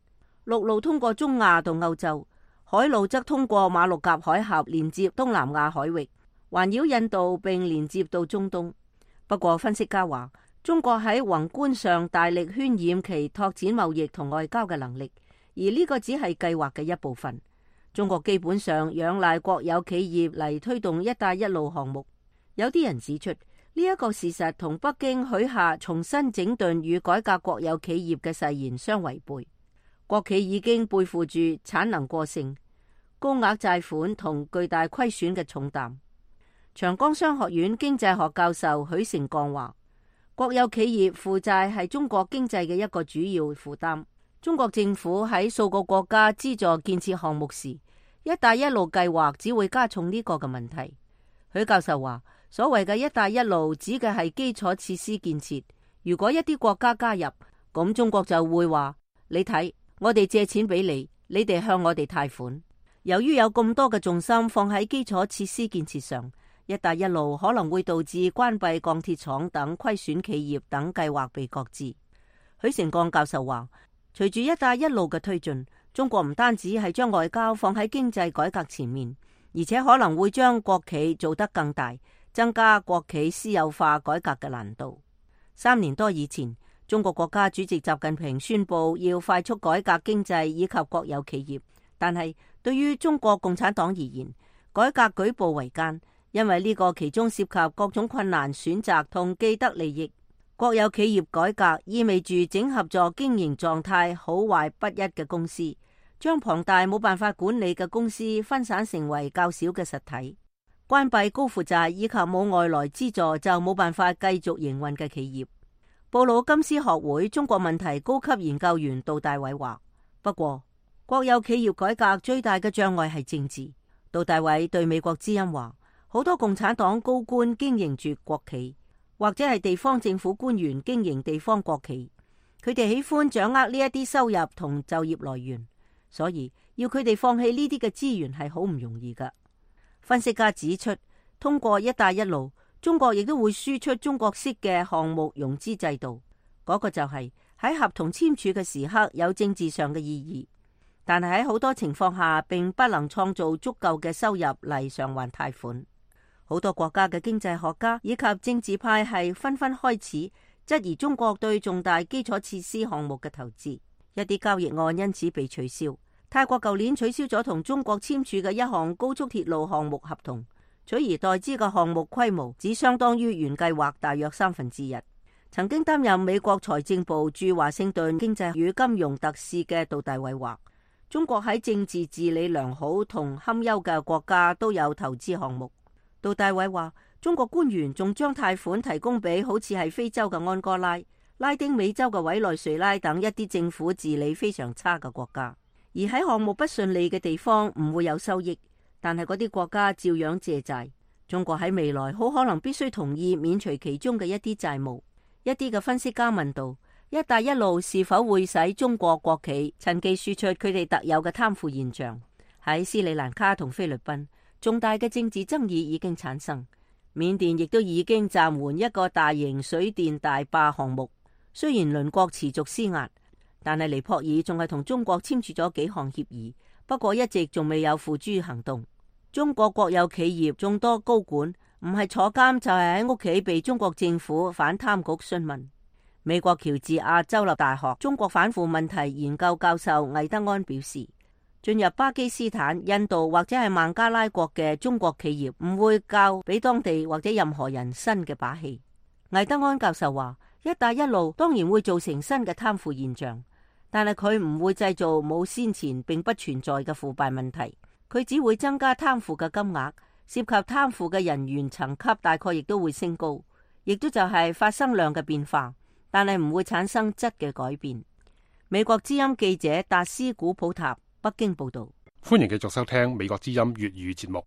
陸路通過中亞到歐洲，海路則通過馬六甲海峽連接東南亞海域，環繞印度並連接到中東。不過分析家話，中國喺宏觀上大力渲染其拓展貿易同外交嘅能力，而呢個只係計劃嘅一部分。中國基本上仰賴國有企業嚟推動一帶一路項目。有啲人指出，呢一個事實同北京許下重新整頓與改革國有企業嘅誓言相違背。國企已經背負住產能過剩、高額債款同巨大虧損嘅重擔。長江商學院經濟學教授許成鋼話，國有企業負債係中國經濟嘅一個主要負擔。中國政府喺數個國家資助建設項目時，一帶一路計劃只會加重呢個嘅問題。許教授話，所謂嘅一帶一路指嘅係基礎設施建設。如果一啲國家加入，咁中國就會話，你睇，我哋借錢俾你，你哋向我哋貸款。由於有咁多嘅重心放喺基礎設施建設上，一帶一路可能會導致關閉鋼鐵廠等虧損企業等計劃被擱置。許成鋼教授話，隨住一帶一路嘅推進，中國唔單止係將外交放喺經濟改革前面，而且可能會將國企做得更大，增加國企私有化改革嘅難度。三年多以前，中國國家主席習近平宣布要快速改革經濟以及國有企業，但係對於中國共產黨而言，改革舉步維艱，因為呢個其中涉及各種困難選擇同既得利益。國有企業改革意味住整合咗經營狀態好壞不一嘅公司，將龐大冇辦法管理嘅公司分散成為較少嘅實體，關閉高負債以及冇外來資助就冇辦法繼續營運嘅企業。布魯金斯學會中國問題高級研究員杜大偉話，不過國有企業改革最大嘅障礙係政治。杜大偉對美國之音話，好多共產黨高官經營住國企，或者係地方政府官員經營地方國企，佢哋喜歡掌握呢一啲收入同就業來源，所以要佢哋放棄呢啲嘅資源係好唔容易噶。分析家指出，通過一帶一路，中國亦都會輸出中國式嘅項目融資制度，嗰個就係喺合同簽署嘅時刻有政治上嘅意義，但係喺好多情況下並不能創造足夠嘅收入嚟償還貸款。好多國家嘅經濟學家以及政治派係紛紛開始質疑中國對重大基礎設施項目嘅投資，一啲交易案因此被取消。泰國舊年取消咗同中國簽署嘅一項高速鐵路項目合同，取而代之嘅項目規模只相當於原計劃大約三分之一。曾經擔任美國財政部駐華盛頓經濟與金融特使嘅杜大偉話，中國喺政治治理良好同堪憂嘅國家都有投資項目，杜大偉話，中國官員仲將貸款提供俾好似係非洲嘅安哥拉、拉丁美洲嘅委內瑞拉等一啲政府治理非常差嘅國家，而喺項目不順利嘅地方唔會有收益，但係嗰啲國家照樣借債。中國喺未來好可能必須同意免除其中嘅一啲債務。一啲嘅分析家問道，一帶一路是否會使中國國企趁機輸出佢哋特有嘅貪腐現象？喺斯里蘭卡同菲律賓，重大嘅政治爭議已經產生。緬甸亦都已經暫緩一個大型水電大壩項目。雖然鄰國持續施壓，但係尼泊爾仲係同中國簽署咗幾項協議，不過一直仲未有付諸行動。中國國有企業眾多高管唔係坐監就係喺屋企被中國政府反貪局詢問。美國喬治亞州立大學中國反腐問題研究教授魏德安表示，進入巴基斯坦、印度或者係孟加拉國嘅中國企業唔會教俾當地或者任何人新嘅把戲。魏德安教授話，一帶一路當然會造成新嘅貪腐現象，但係佢唔會製造冇先前並不存在嘅腐敗問題。佢只會增加貪腐嘅金額，涉及貪腐嘅人員層級大概亦都會升高，亦都就係發生量嘅變化，但係唔會產生質嘅改變。美國之音記者達斯古普塔北京報道。歡迎繼續收聽美國之音粵語節目。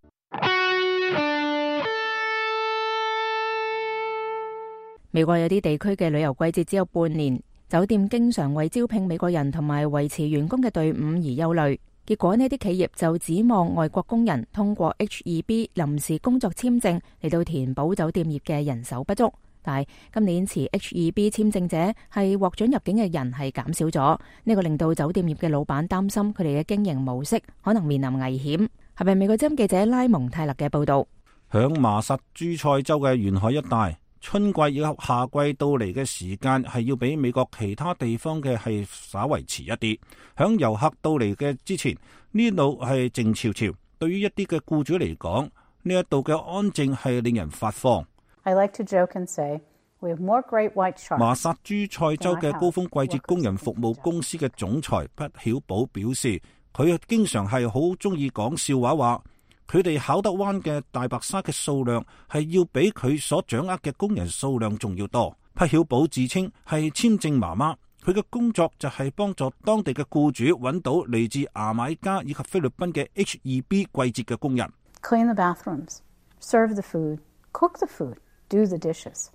美國有啲地區嘅旅遊季節只有半年，酒店經常為招聘美國人同埋維持員工嘅隊伍而憂慮。結果呢啲企業就指望外國工人通過 H 二 B 臨時工作簽證嚟到填補酒店業嘅人手不足。但係今年持 H 二 B 簽證者係獲准入境嘅人係減少咗，呢個令到酒店業嘅老闆擔心佢哋嘅經營模式可能面臨危險。係咪美國之音記者拉蒙泰勒嘅報道？響麻薩諸塞州嘅沿海一帶，春季以及夏季到嚟嘅時間係要比美國其他地方嘅係稍為遲一啲。響遊客到嚟嘅之前，呢度係靜悄悄。對於一啲嘅僱主嚟講，呢一度嘅安靜係令人發慌。I like to joke and say, we have more great white sharks. 麻薩諸塞州嘅高峰季節工人服務公司嘅總裁畢曉寶表示，佢經常係好中意講笑話，話佢哋考德灣嘅大白鯊嘅數量係要比佢所掌握嘅工人數量仲要多。畢曉寶自稱係簽證媽媽，佢嘅工作就係幫助當地嘅僱主揾到嚟自牙買加以及菲律賓嘅 H 二 B 季節嘅工人。Clean the bathrooms, serve the food, cook the food, do the dishes.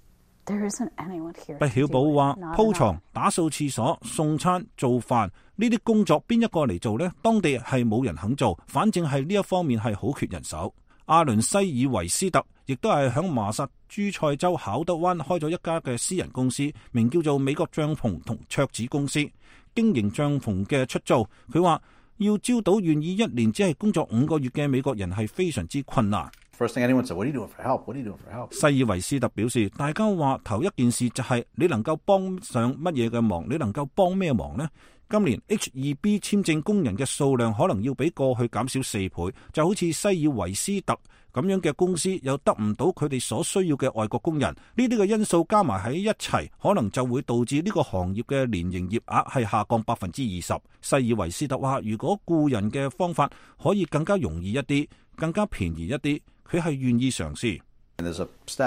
There isn't anyone here. 畢曉寶話：鋪床、打掃廁所、送餐、做飯呢啲工作邊一個嚟做呢？當地係冇人肯做，反正係呢一方面係好缺人手。阿倫西爾維斯特亦都係響麻薩諸塞州考德灣開咗一家嘅私人公司，名叫做美國帳篷同桌子公司，經營帳篷嘅出租。佢話要招到願意一年只係工作五個月嘅美國人係非常之困難。First thing anyone said, what are you doing for help? What are you doing for help? 西爾維斯特表示，大家話頭一件事就係你能夠幫上乜嘢嘅忙，你能夠幫咩忙呢？今年 H 二 B 簽證工人嘅數量可能要比過去減少四倍，就好似西爾維斯特咁樣嘅公司又得唔到佢哋所需要嘅外國工人，呢啲嘅因素加埋喺一齊，可能就會導致呢個行業嘅年營業額係下降百分之二十。西爾維斯特話，如果僱人嘅方法可以更加容易一啲，更加便宜一啲，佢係願意嘗試。西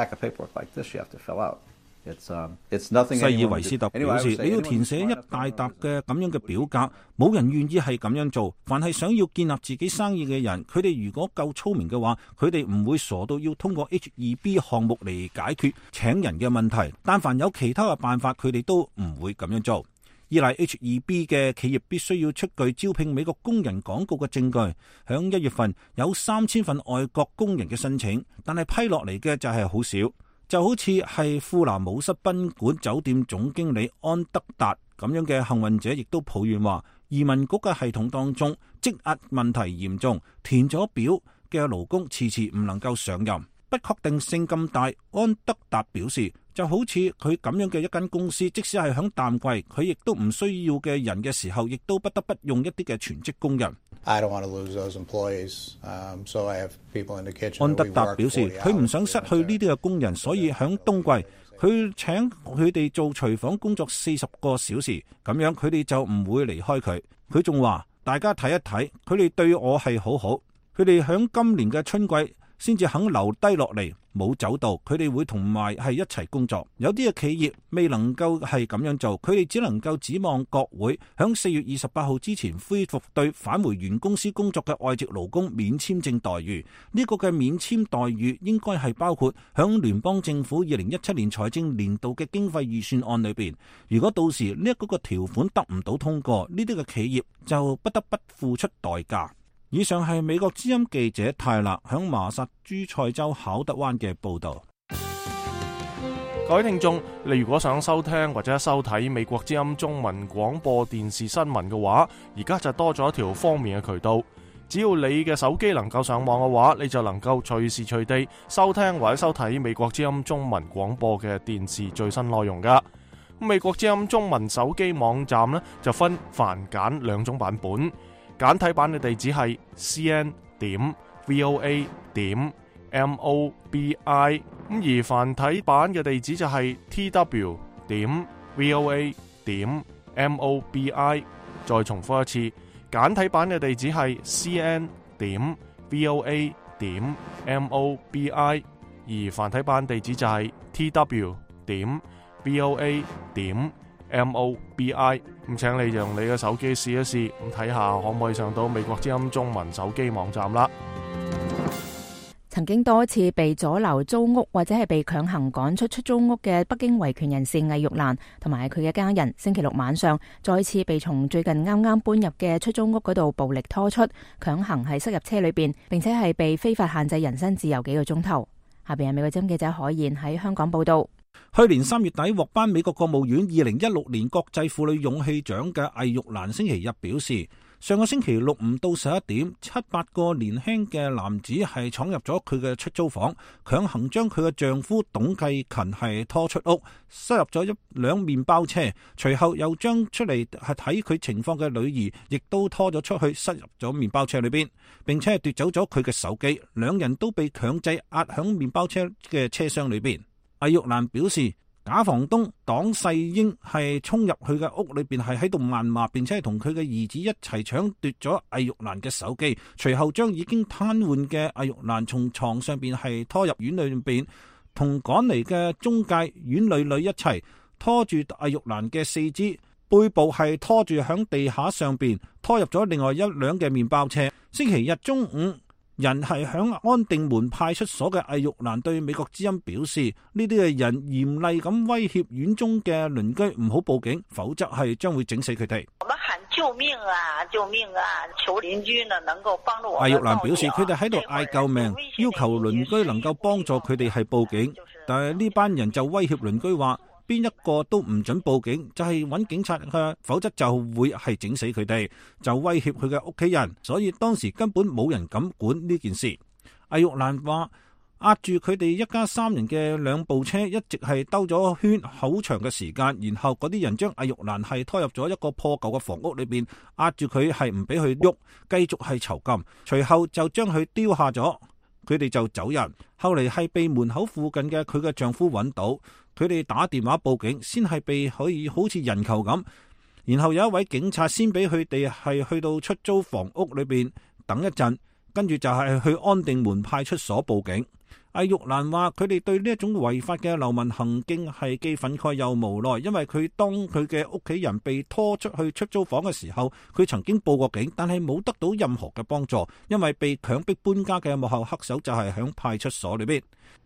爾維斯特表示，你要填寫一大沓嘅咁樣嘅表格，冇人願意係咁樣做。凡係想要建立自己生意嘅人，佢哋如果夠聰明嘅話，佢哋唔會傻到要通過 H 二 B 項目嚟解決請人嘅問題。但凡有其他嘅辦法，佢哋都唔會咁樣做。依賴 H 二 B 嘅企業必須要出具招聘美國工人廣告嘅證據。響一月份有三千份外國工人嘅申請，但係批落嚟嘅就係好少。就好似係富蘭姆斯賓館酒店總經理安德達咁樣嘅幸運者，亦都抱怨話，移民局嘅系統當中積壓問題嚴重，填咗表嘅勞工遲遲唔能夠上任，不確定性咁大。安德達表示，就好似佢咁樣嘅一間公司，即使係響淡季，佢亦都唔需要嘅人嘅時候，亦都不得不用一啲嘅全職工人。I don't want to lose those employees, um, so I have people in the kitchen. 安德達表示，佢唔想失去呢啲嘅工人，所以響冬季佢請佢哋做廚房工作四十個小時，咁樣佢哋就唔會離開佢。佢仲話，大家睇一睇，佢哋對我係好好。佢哋響今年嘅春季先至肯留低落嚟，冇走到，佢哋會同埋係一齊工作。有啲嘅企業未能夠係咁樣做，佢哋只能夠指望國會響四月二十八號之前恢復對返回原公司工作嘅外籍勞工免簽證待遇。呢、這個嘅免簽待遇應該係包括響聯邦政府二零一七年財政年度嘅經費預算案裏邊。如果到時呢一個條款得唔到通過，呢啲嘅企業就不得不付出代價。以上係美國之音記者泰勒響麻薩諸塞州考德灣嘅報道。各位聽眾，你如果想收聽或者收睇美國之音中文廣播電視新聞嘅話，而家就多咗一條方便嘅渠道。只要你嘅手機能夠上網嘅話，你就能夠隨時隨地收聽或者收睇美國之音中文廣播嘅電視最新內容噶。美國之音中文手機網站呢，就分繁簡兩種版本，簡體版嘅地址係 c n 點 v o a 點 m o b i， 咁而繁體版嘅地址就係 t w 點 v o a 點 m o b i。 再重複一次，簡體版嘅地址係 c n 點 v o a 點 m o b i， 而繁體版地址就係 t w 點v o a 點 m o b i。 咁請你用你嘅手機試一試，咁睇下可唔可以上到美國之音中文手機網站啦。曾經多次被阻留租屋或者係被強行趕出出租屋嘅北京維權人士魏玉蘭同埋佢嘅家人，星期六晚上再次被從最近啱啱搬入嘅出租屋嗰度暴力拖出，強行係塞入車裏邊，並且係被非法限制人身自由幾個鐘頭。下邊係美國之音記者海燕喺香港報道。去年三月底獲頒美國國務院二零一六年國際婦女勇氣獎嘅魏玉蘭星期日表示，上個星期六唔到十一點，七八個年輕嘅男子係闖入咗佢嘅出租房，強行將佢嘅丈夫董繼勤係拖出屋，塞入咗一輛麵包車，隨後又將出嚟係睇佢情況嘅女兒亦都拖咗出去，塞入咗麵包車裏邊，並且係奪走咗佢嘅手機，兩人都被強制壓響麵包車嘅車廂裏邊。魏玉蘭表示，假房東黨世英係衝入佢嘅屋裏邊，係喺度謾罵，並且係同佢嘅兒子一齊搶奪咗魏玉蘭嘅手機，隨後將已經癱瘓嘅魏玉蘭從床上邊係拖入院裏邊，同趕嚟嘅中介院女女一齊拖住魏玉蘭嘅四肢，背部係拖住響地下上邊，拖入咗另外一輛嘅麵包車。星期日中午，人係響安定門派出所嘅魏玉蘭對美國之音表示，呢啲嘅人嚴厲咁威脅院中嘅鄰居唔好報警，否則係將會整死佢哋。我們喊救命啊！救命啊！求鄰居呢能夠幫助我。魏玉蘭表示，佢哋喺度嗌救命，要求鄰居能夠幫助佢哋係報警，但係呢班人就威脅鄰居話，邊一個都唔准報警，就係揾警察嘅，否則就會係整死佢哋，就威脅佢嘅屋企人，所以當時根本冇人敢管呢件事。魏玉蘭話，壓住佢哋一家三人嘅兩部車一直係兜咗圈好長嘅時間，然後嗰啲人將魏玉蘭係拖入咗一個破舊嘅房屋裏邊，壓住佢係唔俾佢喐，繼續係囚禁，隨後就將佢丟下咗，佢哋就走人。後嚟係被門口附近嘅佢嘅丈夫揾到，佢哋打電話報警，先係被可以好似人球咁，然後有一位警察先俾佢哋係去到出租房屋裏邊等一陣，跟住就係去安定門派出所報警。魏玉蘭話，佢哋對呢一種違法嘅流民行徑係既憤慨又無奈，因為佢當佢嘅屋企人被拖出去出租房嘅時候，佢曾經報過警，但係冇得到任何嘅幫助，因為被強迫搬家嘅幕後黑手就係響派出所裏邊。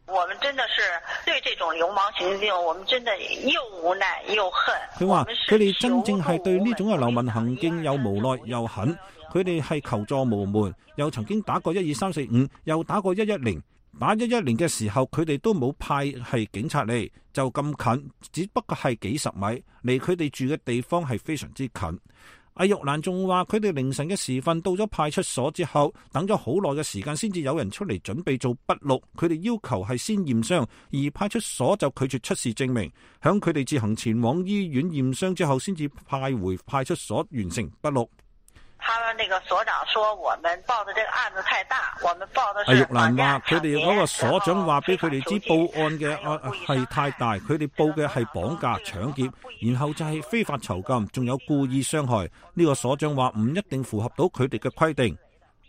我們真的是對這種流氓行徑，我們真的又無奈又恨。佢話佢哋真正係對呢種嘅流民行徑又無奈又恨，佢哋係求助無門，又曾經打過一二三四五，又打過一一零。打一一零嘅時候，佢哋都冇派係警察嚟，就咁近，只不過係幾十米，離佢哋住嘅地方係非常之近。魏玉蘭仲話，佢哋凌晨嘅時分到咗派出所之後，等咗好耐嘅時間先至有人出嚟準備做筆錄，佢哋要求係先驗傷，而派出所就拒絕出示證明，響佢哋自行前往醫院驗傷之後，先至派回派出所完成筆錄。他們那個所長說，我們報的這個案子太大，我們報的是。魏玉蘭話，佢哋嗰個所長話俾佢哋知報案嘅案係太大，佢哋報嘅係綁架、搶劫，然後就係非法囚禁，仲有故意傷害。呢個所長話唔一定符合到佢哋嘅規定。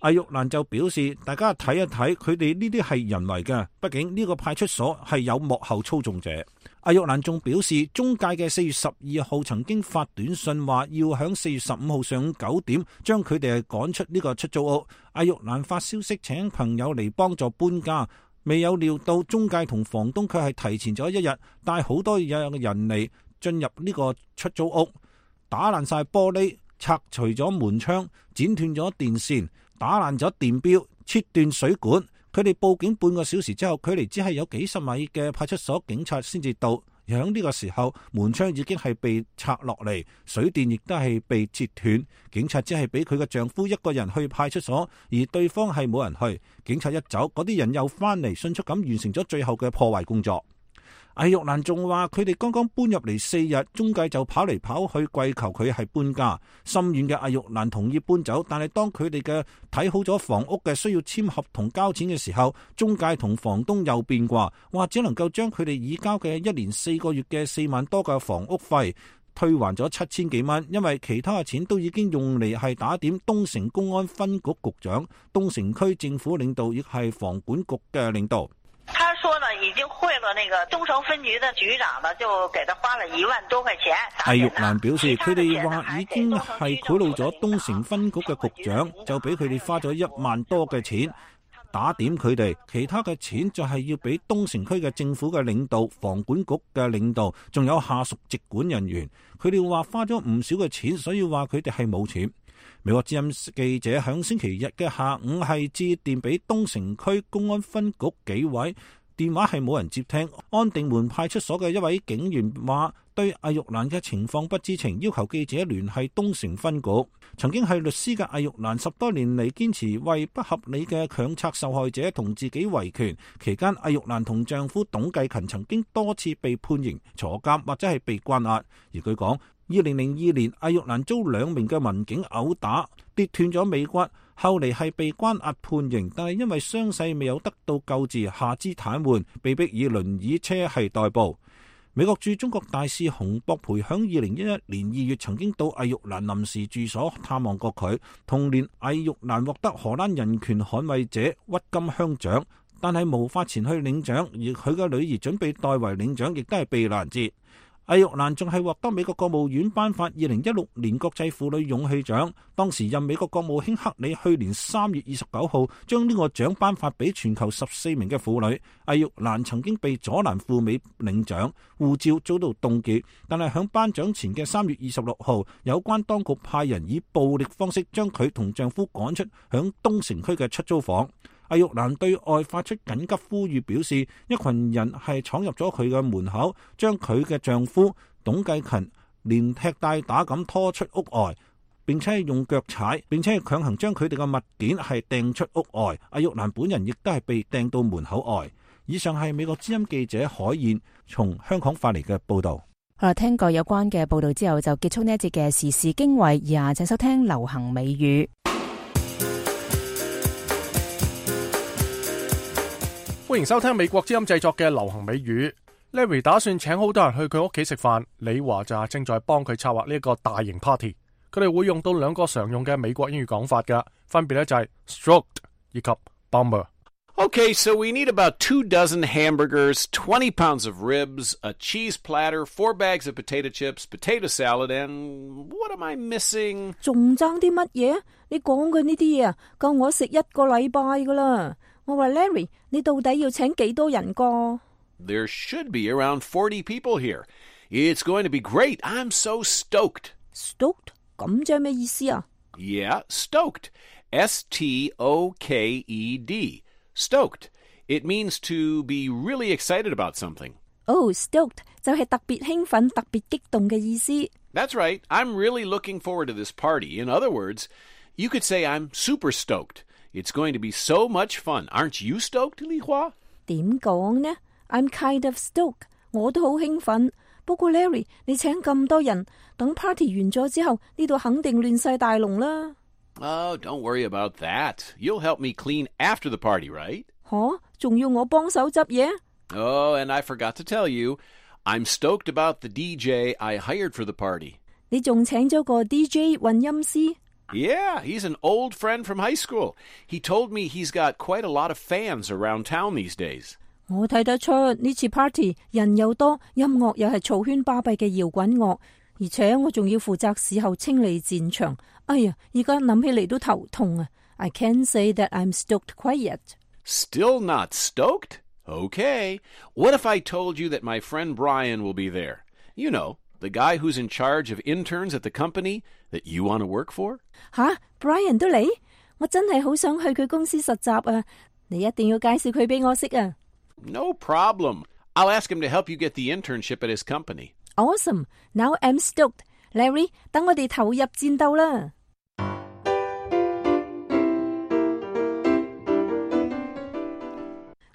阿玉蘭就表示，大家睇一睇，佢哋呢啲係人為嘅，畢竟呢個派出所係有幕後操縱者。阿玉蘭仲表示，中介嘅四月十二號曾經發短信話要響四月十五號上午九點將佢哋趕出呢個出租屋。阿玉蘭發消息請朋友嚟幫助搬家，未有料到中介同房東佢係提前咗一日帶好多有嘅人嚟進入呢個出租屋，打爛晒玻璃，拆除咗門窗，剪斷咗電線，打爛咗電錶，切斷水管。佢哋報警半個小時之後，距離只係有幾十米嘅派出所警察先至到。響呢個時候，門窗已經係被拆落嚟，水電亦都係被切斷。警察只係俾佢嘅丈夫一個人去派出所，而對方係冇人去。警察一走，嗰啲人又翻嚟，迅速咁完成咗最後嘅破壞工作。阿玉蘭仲話佢哋剛剛搬入嚟四日，中介就跑嚟跑去跪求佢係搬家。心軟嘅阿玉蘭同意搬走，但係當佢哋嘅睇好咗房屋嘅需要簽合同交錢嘅時候，中介同房東又變卦，話只能夠將佢哋已交嘅一年四個月嘅四萬多嘅房屋費退還咗七千幾蚊，因為其他嘅錢都已經用嚟係打點東城公安分局局長、東城區政府領導，亦係房管局嘅領導。他說呢，已經賄了那個東城分局的局長呢，就給他花了一萬多塊錢。阿玉蘭表示，佢哋話已經係賄賂咗東城分局嘅局長，就俾佢哋花咗一萬多嘅錢打點佢哋，其他嘅錢就係要俾東城區嘅政府嘅領導、房管局嘅領導，仲有下屬直管人員。佢哋話花咗唔少嘅錢，所以話佢哋係冇錢。美國之音記者響星期日嘅下午係致電俾東城區公安分局紀委，電話係冇人接聽。安定門派出所嘅一位警員話對阿玉蘭嘅情況不知情，要求記者聯繫東城分局。曾經係律師嘅阿玉蘭十多年嚟堅持為不合理嘅強拆受害者同自己維權，期間阿玉蘭同丈夫董繼勤曾經多次被判刑坐監或者係被關押。而據講，二零零二年阿玉蘭遭兩名嘅民警毆打，跌斷咗尾骨，後嚟係被關押判刑，但係因為傷勢未有得到救治，下肢癱瘓，被迫以輪椅車係代步。美國駐中國大使洪博培響二零一一年二月曾經到阿玉蘭臨時住所探望過佢。同年阿玉蘭獲得荷蘭人權捍衛者鬱金香獎，但係無法前去領獎，而佢嘅女兒準備代為領獎，亦都係被攔截。阿玉蘭仲係獲得美國國務院頒發二零一六年國際婦女勇氣獎，當時任美國國務卿克里去年三月二十九號將呢個獎頒發俾全球十四名嘅婦女。阿玉蘭曾經被阻攔赴美領獎，護照遭到凍結，但係響頒獎前嘅三月二十六號，有關當局派人以暴力方式將佢同丈夫趕出響東城區嘅出租房。阿玉蘭對外發出緊急呼籲，表示一群人係闖入咗佢嘅門口，將佢嘅丈夫董繼勤連踢帶打咁拖出屋外，並且係用腳踩，並且係強行將佢哋嘅物件係掟出屋外。阿玉蘭本人亦都係被掟到門口外。以上係美國之音記者海燕從香港發嚟嘅報道。好啦，聽過有關嘅報道之後，就結束呢一節嘅時事經緯，而家請收聽流行美語。歡迎收聽美國之音製作嘅流行美語。Larry 打算請好多人去佢屋企食飯，李華就正在幫佢策劃呢一個大型 party。佢哋會用到兩個常用嘅美國英語講法㗎，分別咧就係 stroked 以及 bummer。Okay, so we need about two dozen hamburgers, twenty pounds of ribs, a cheese platter, four bags of potato chips, potato salad, and what am I missing? 仲爭啲乜嘢？你講嘅呢啲嘢啊，夠我食一個禮拜噶啦。我話 Larry， 你到底要請幾多人個？ There should be around forty people here. It's going to be great. I'm so stoked. Stoked? 咁即係咩意思啊？ Yeah, stoked. S T O K E D. Stoked. It means to be really excited about something. Oh, stoked 就係特別興奮、特別激動嘅意思。 That's right. I'm really looking forward to this party. In other words, you could say I'm super stoked. It's going to be so much fun. Aren't you stoked, Li Hua? 點講呢？ I'm kind of stoked. 我都好興奮。不過 Larry， 你請咁多人，等 party 完咗之後，呢度肯定亂晒大龍啦。Oh, don't worry about that. You'll help me clean after the party, right? 吓，仲要我幫手執嘢？ Oh, and I forgot to tell you, I'm stoked about the D J I hired for the party. 你仲請咗個 D J 混音師 Yeah, he's an old friend from high school. He told me he's got quite a lot of fans around town these days. 我睇得出呢次 party 人又多，音樂又係嘈喧巴閉嘅搖滾樂，而且我仲要負責事後清理戰場。哎呀，而家諗起嚟都頭痛啊 I can't say that I'm stoked quite yet. Still not stoked? Okay. What if I told you that my friend Brian will be there? You know, the guy who's in charge of interns at the company that you want to work for? 吓 Brian 都嚟？我真係好想去佢公司實習啊！你一定要介紹佢俾我識啊！ No problem. I'll ask him to help you get the internship at his company. Awesome. Now I'm stoked. Larry, 等我哋投入戰鬥啦！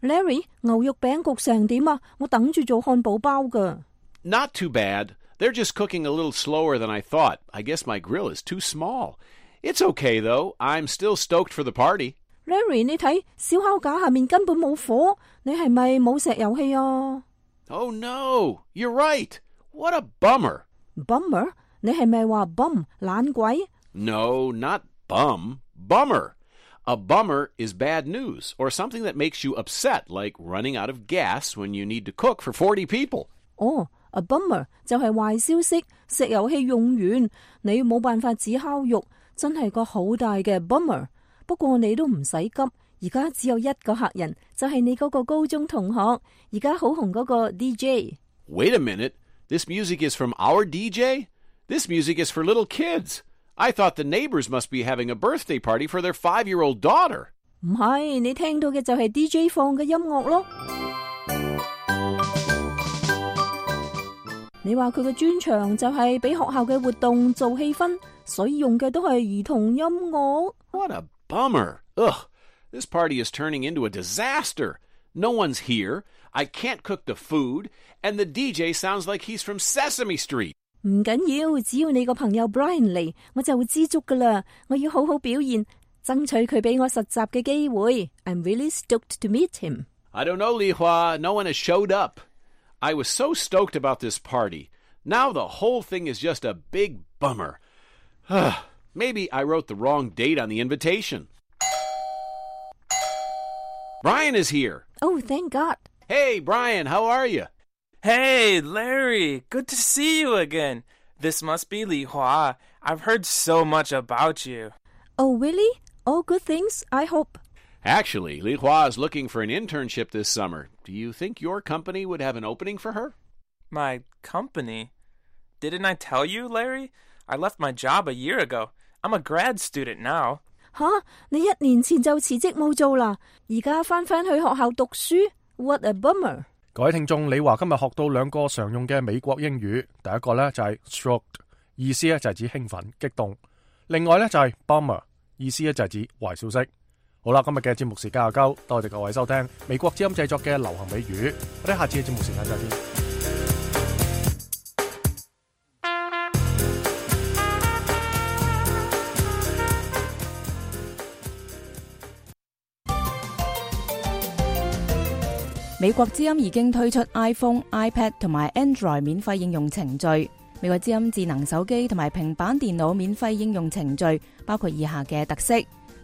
Larry, 牛肉餅焗成點啊？我等住做漢堡包㗎。 Not too bad. They're just cooking a little slower than I thought. I guess my grill is too small. It's okay, though. I'm still stoked for the party. Larry, 你睇燒烤架下面根本冇火，你係咪冇石油氣啊？ Oh no, you're right. What a bummer. Bummer? 你係咪話 bum 懶鬼？ No, not bum. Bummer. A bummer is bad news or something that makes you upset, like running out of gas when you need to cook for forty people. 哦、oh, a bummer 就係壞消息，石油氣用完，你冇辦法煮烤肉，真係個好大嘅 bummer。不過你都唔使急，而家只有一個客人，就係你嗰個高中同學，而家好紅嗰個 D J。 Wait a minute. This music is from our D J? This music is for little kids. I thought the neighbors must be having a birthday party for their five-year-old daughter. 唔係，你聽到嘅就係 D J 放嘅音樂咯。你話佢嘅專長就係俾學校嘅活動做氣氛，所以用嘅都係兒童音樂。 What a bummer. Ugh, this party is turning into a disaster. No one's here. I can't cook the food, and the D J sounds like he's from Sesame Street. 唔緊要，只要你個朋友 Brian 嚟，我就會知足噶啦。我要好好表現，爭取佢俾我實習嘅機會。I'm really stoked to meet him. I don't know, Li Hua. No one has showed up. I was so stoked about this party. Now the whole thing is just a big bummer. Maybe I wrote the wrong date on the invitation. Brian is here. Oh, thank God. Hey, Brian, how are you? Hey, Larry. Good to see you again. This must be Li Hua. I've heard so much about you. Oh, really? All good things, I hope. Actually, Li Hua is looking for an internship this summer. Do you think your company would have an opening for her? My company? Didn't I tell you, Larry? I left my job a year ago. I'm a grad student now. 吓，你一年前就辭職冇做啦，而家返返去學校讀書 ？What a bummer！ 各位聽眾，李華今日學到兩個常用嘅美國英語，第一個呢就係 stoked， 意思呢就係指興奮、激動；另外呢就係 bummer， 意思呢就係指壞消息。好啦，今日嘅節目時間又夠，多謝各位收聽美國之音製作嘅流行美語，我哋下次嘅節目時間再見。美國之音已經推出 iPhone、iPad 同埋 Android 免費應用程序。美國之音智能手機同埋平板電腦免費應用程序包括以下嘅特色：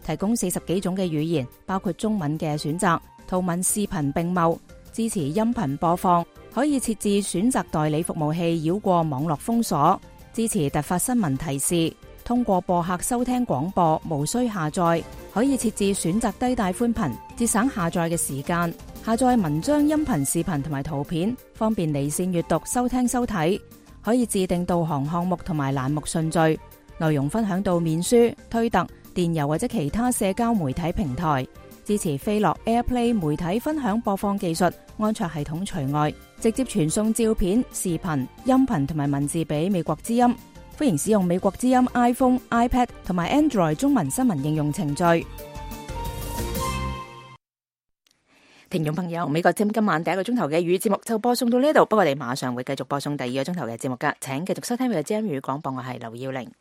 提供四十幾種嘅語言，包括中文嘅選擇，圖文視頻並茂，支持音頻播放，可以設置選擇代理服務器繞過網絡封鎖，支持突發新聞提示，通過播客收聽廣播，無需下載，可以設置選擇低帶寬頻，節省下載嘅時間。下載文章、音頻、視頻同埋圖片，方便離線閱讀、收聽、收睇。可以自定導航項目同埋欄目順序，內容分享到面書、推特、電郵或者其他社交媒體平台。支持飛樂 AirPlay 媒體分享播放技術，安卓系統除外。直接傳送照片、視頻、音頻同埋文字俾美國之音。歡迎使用美國之音 iPhone、iPad 同埋 Android 中文新聞應用程序。聽眾朋友，美國之音今晚第一個鐘頭嘅語節目就播送到呢度，不過我哋馬上會繼續播送第二個鐘頭嘅節目㗎，請繼續收聽美國之音語廣播，我係劉耀玲。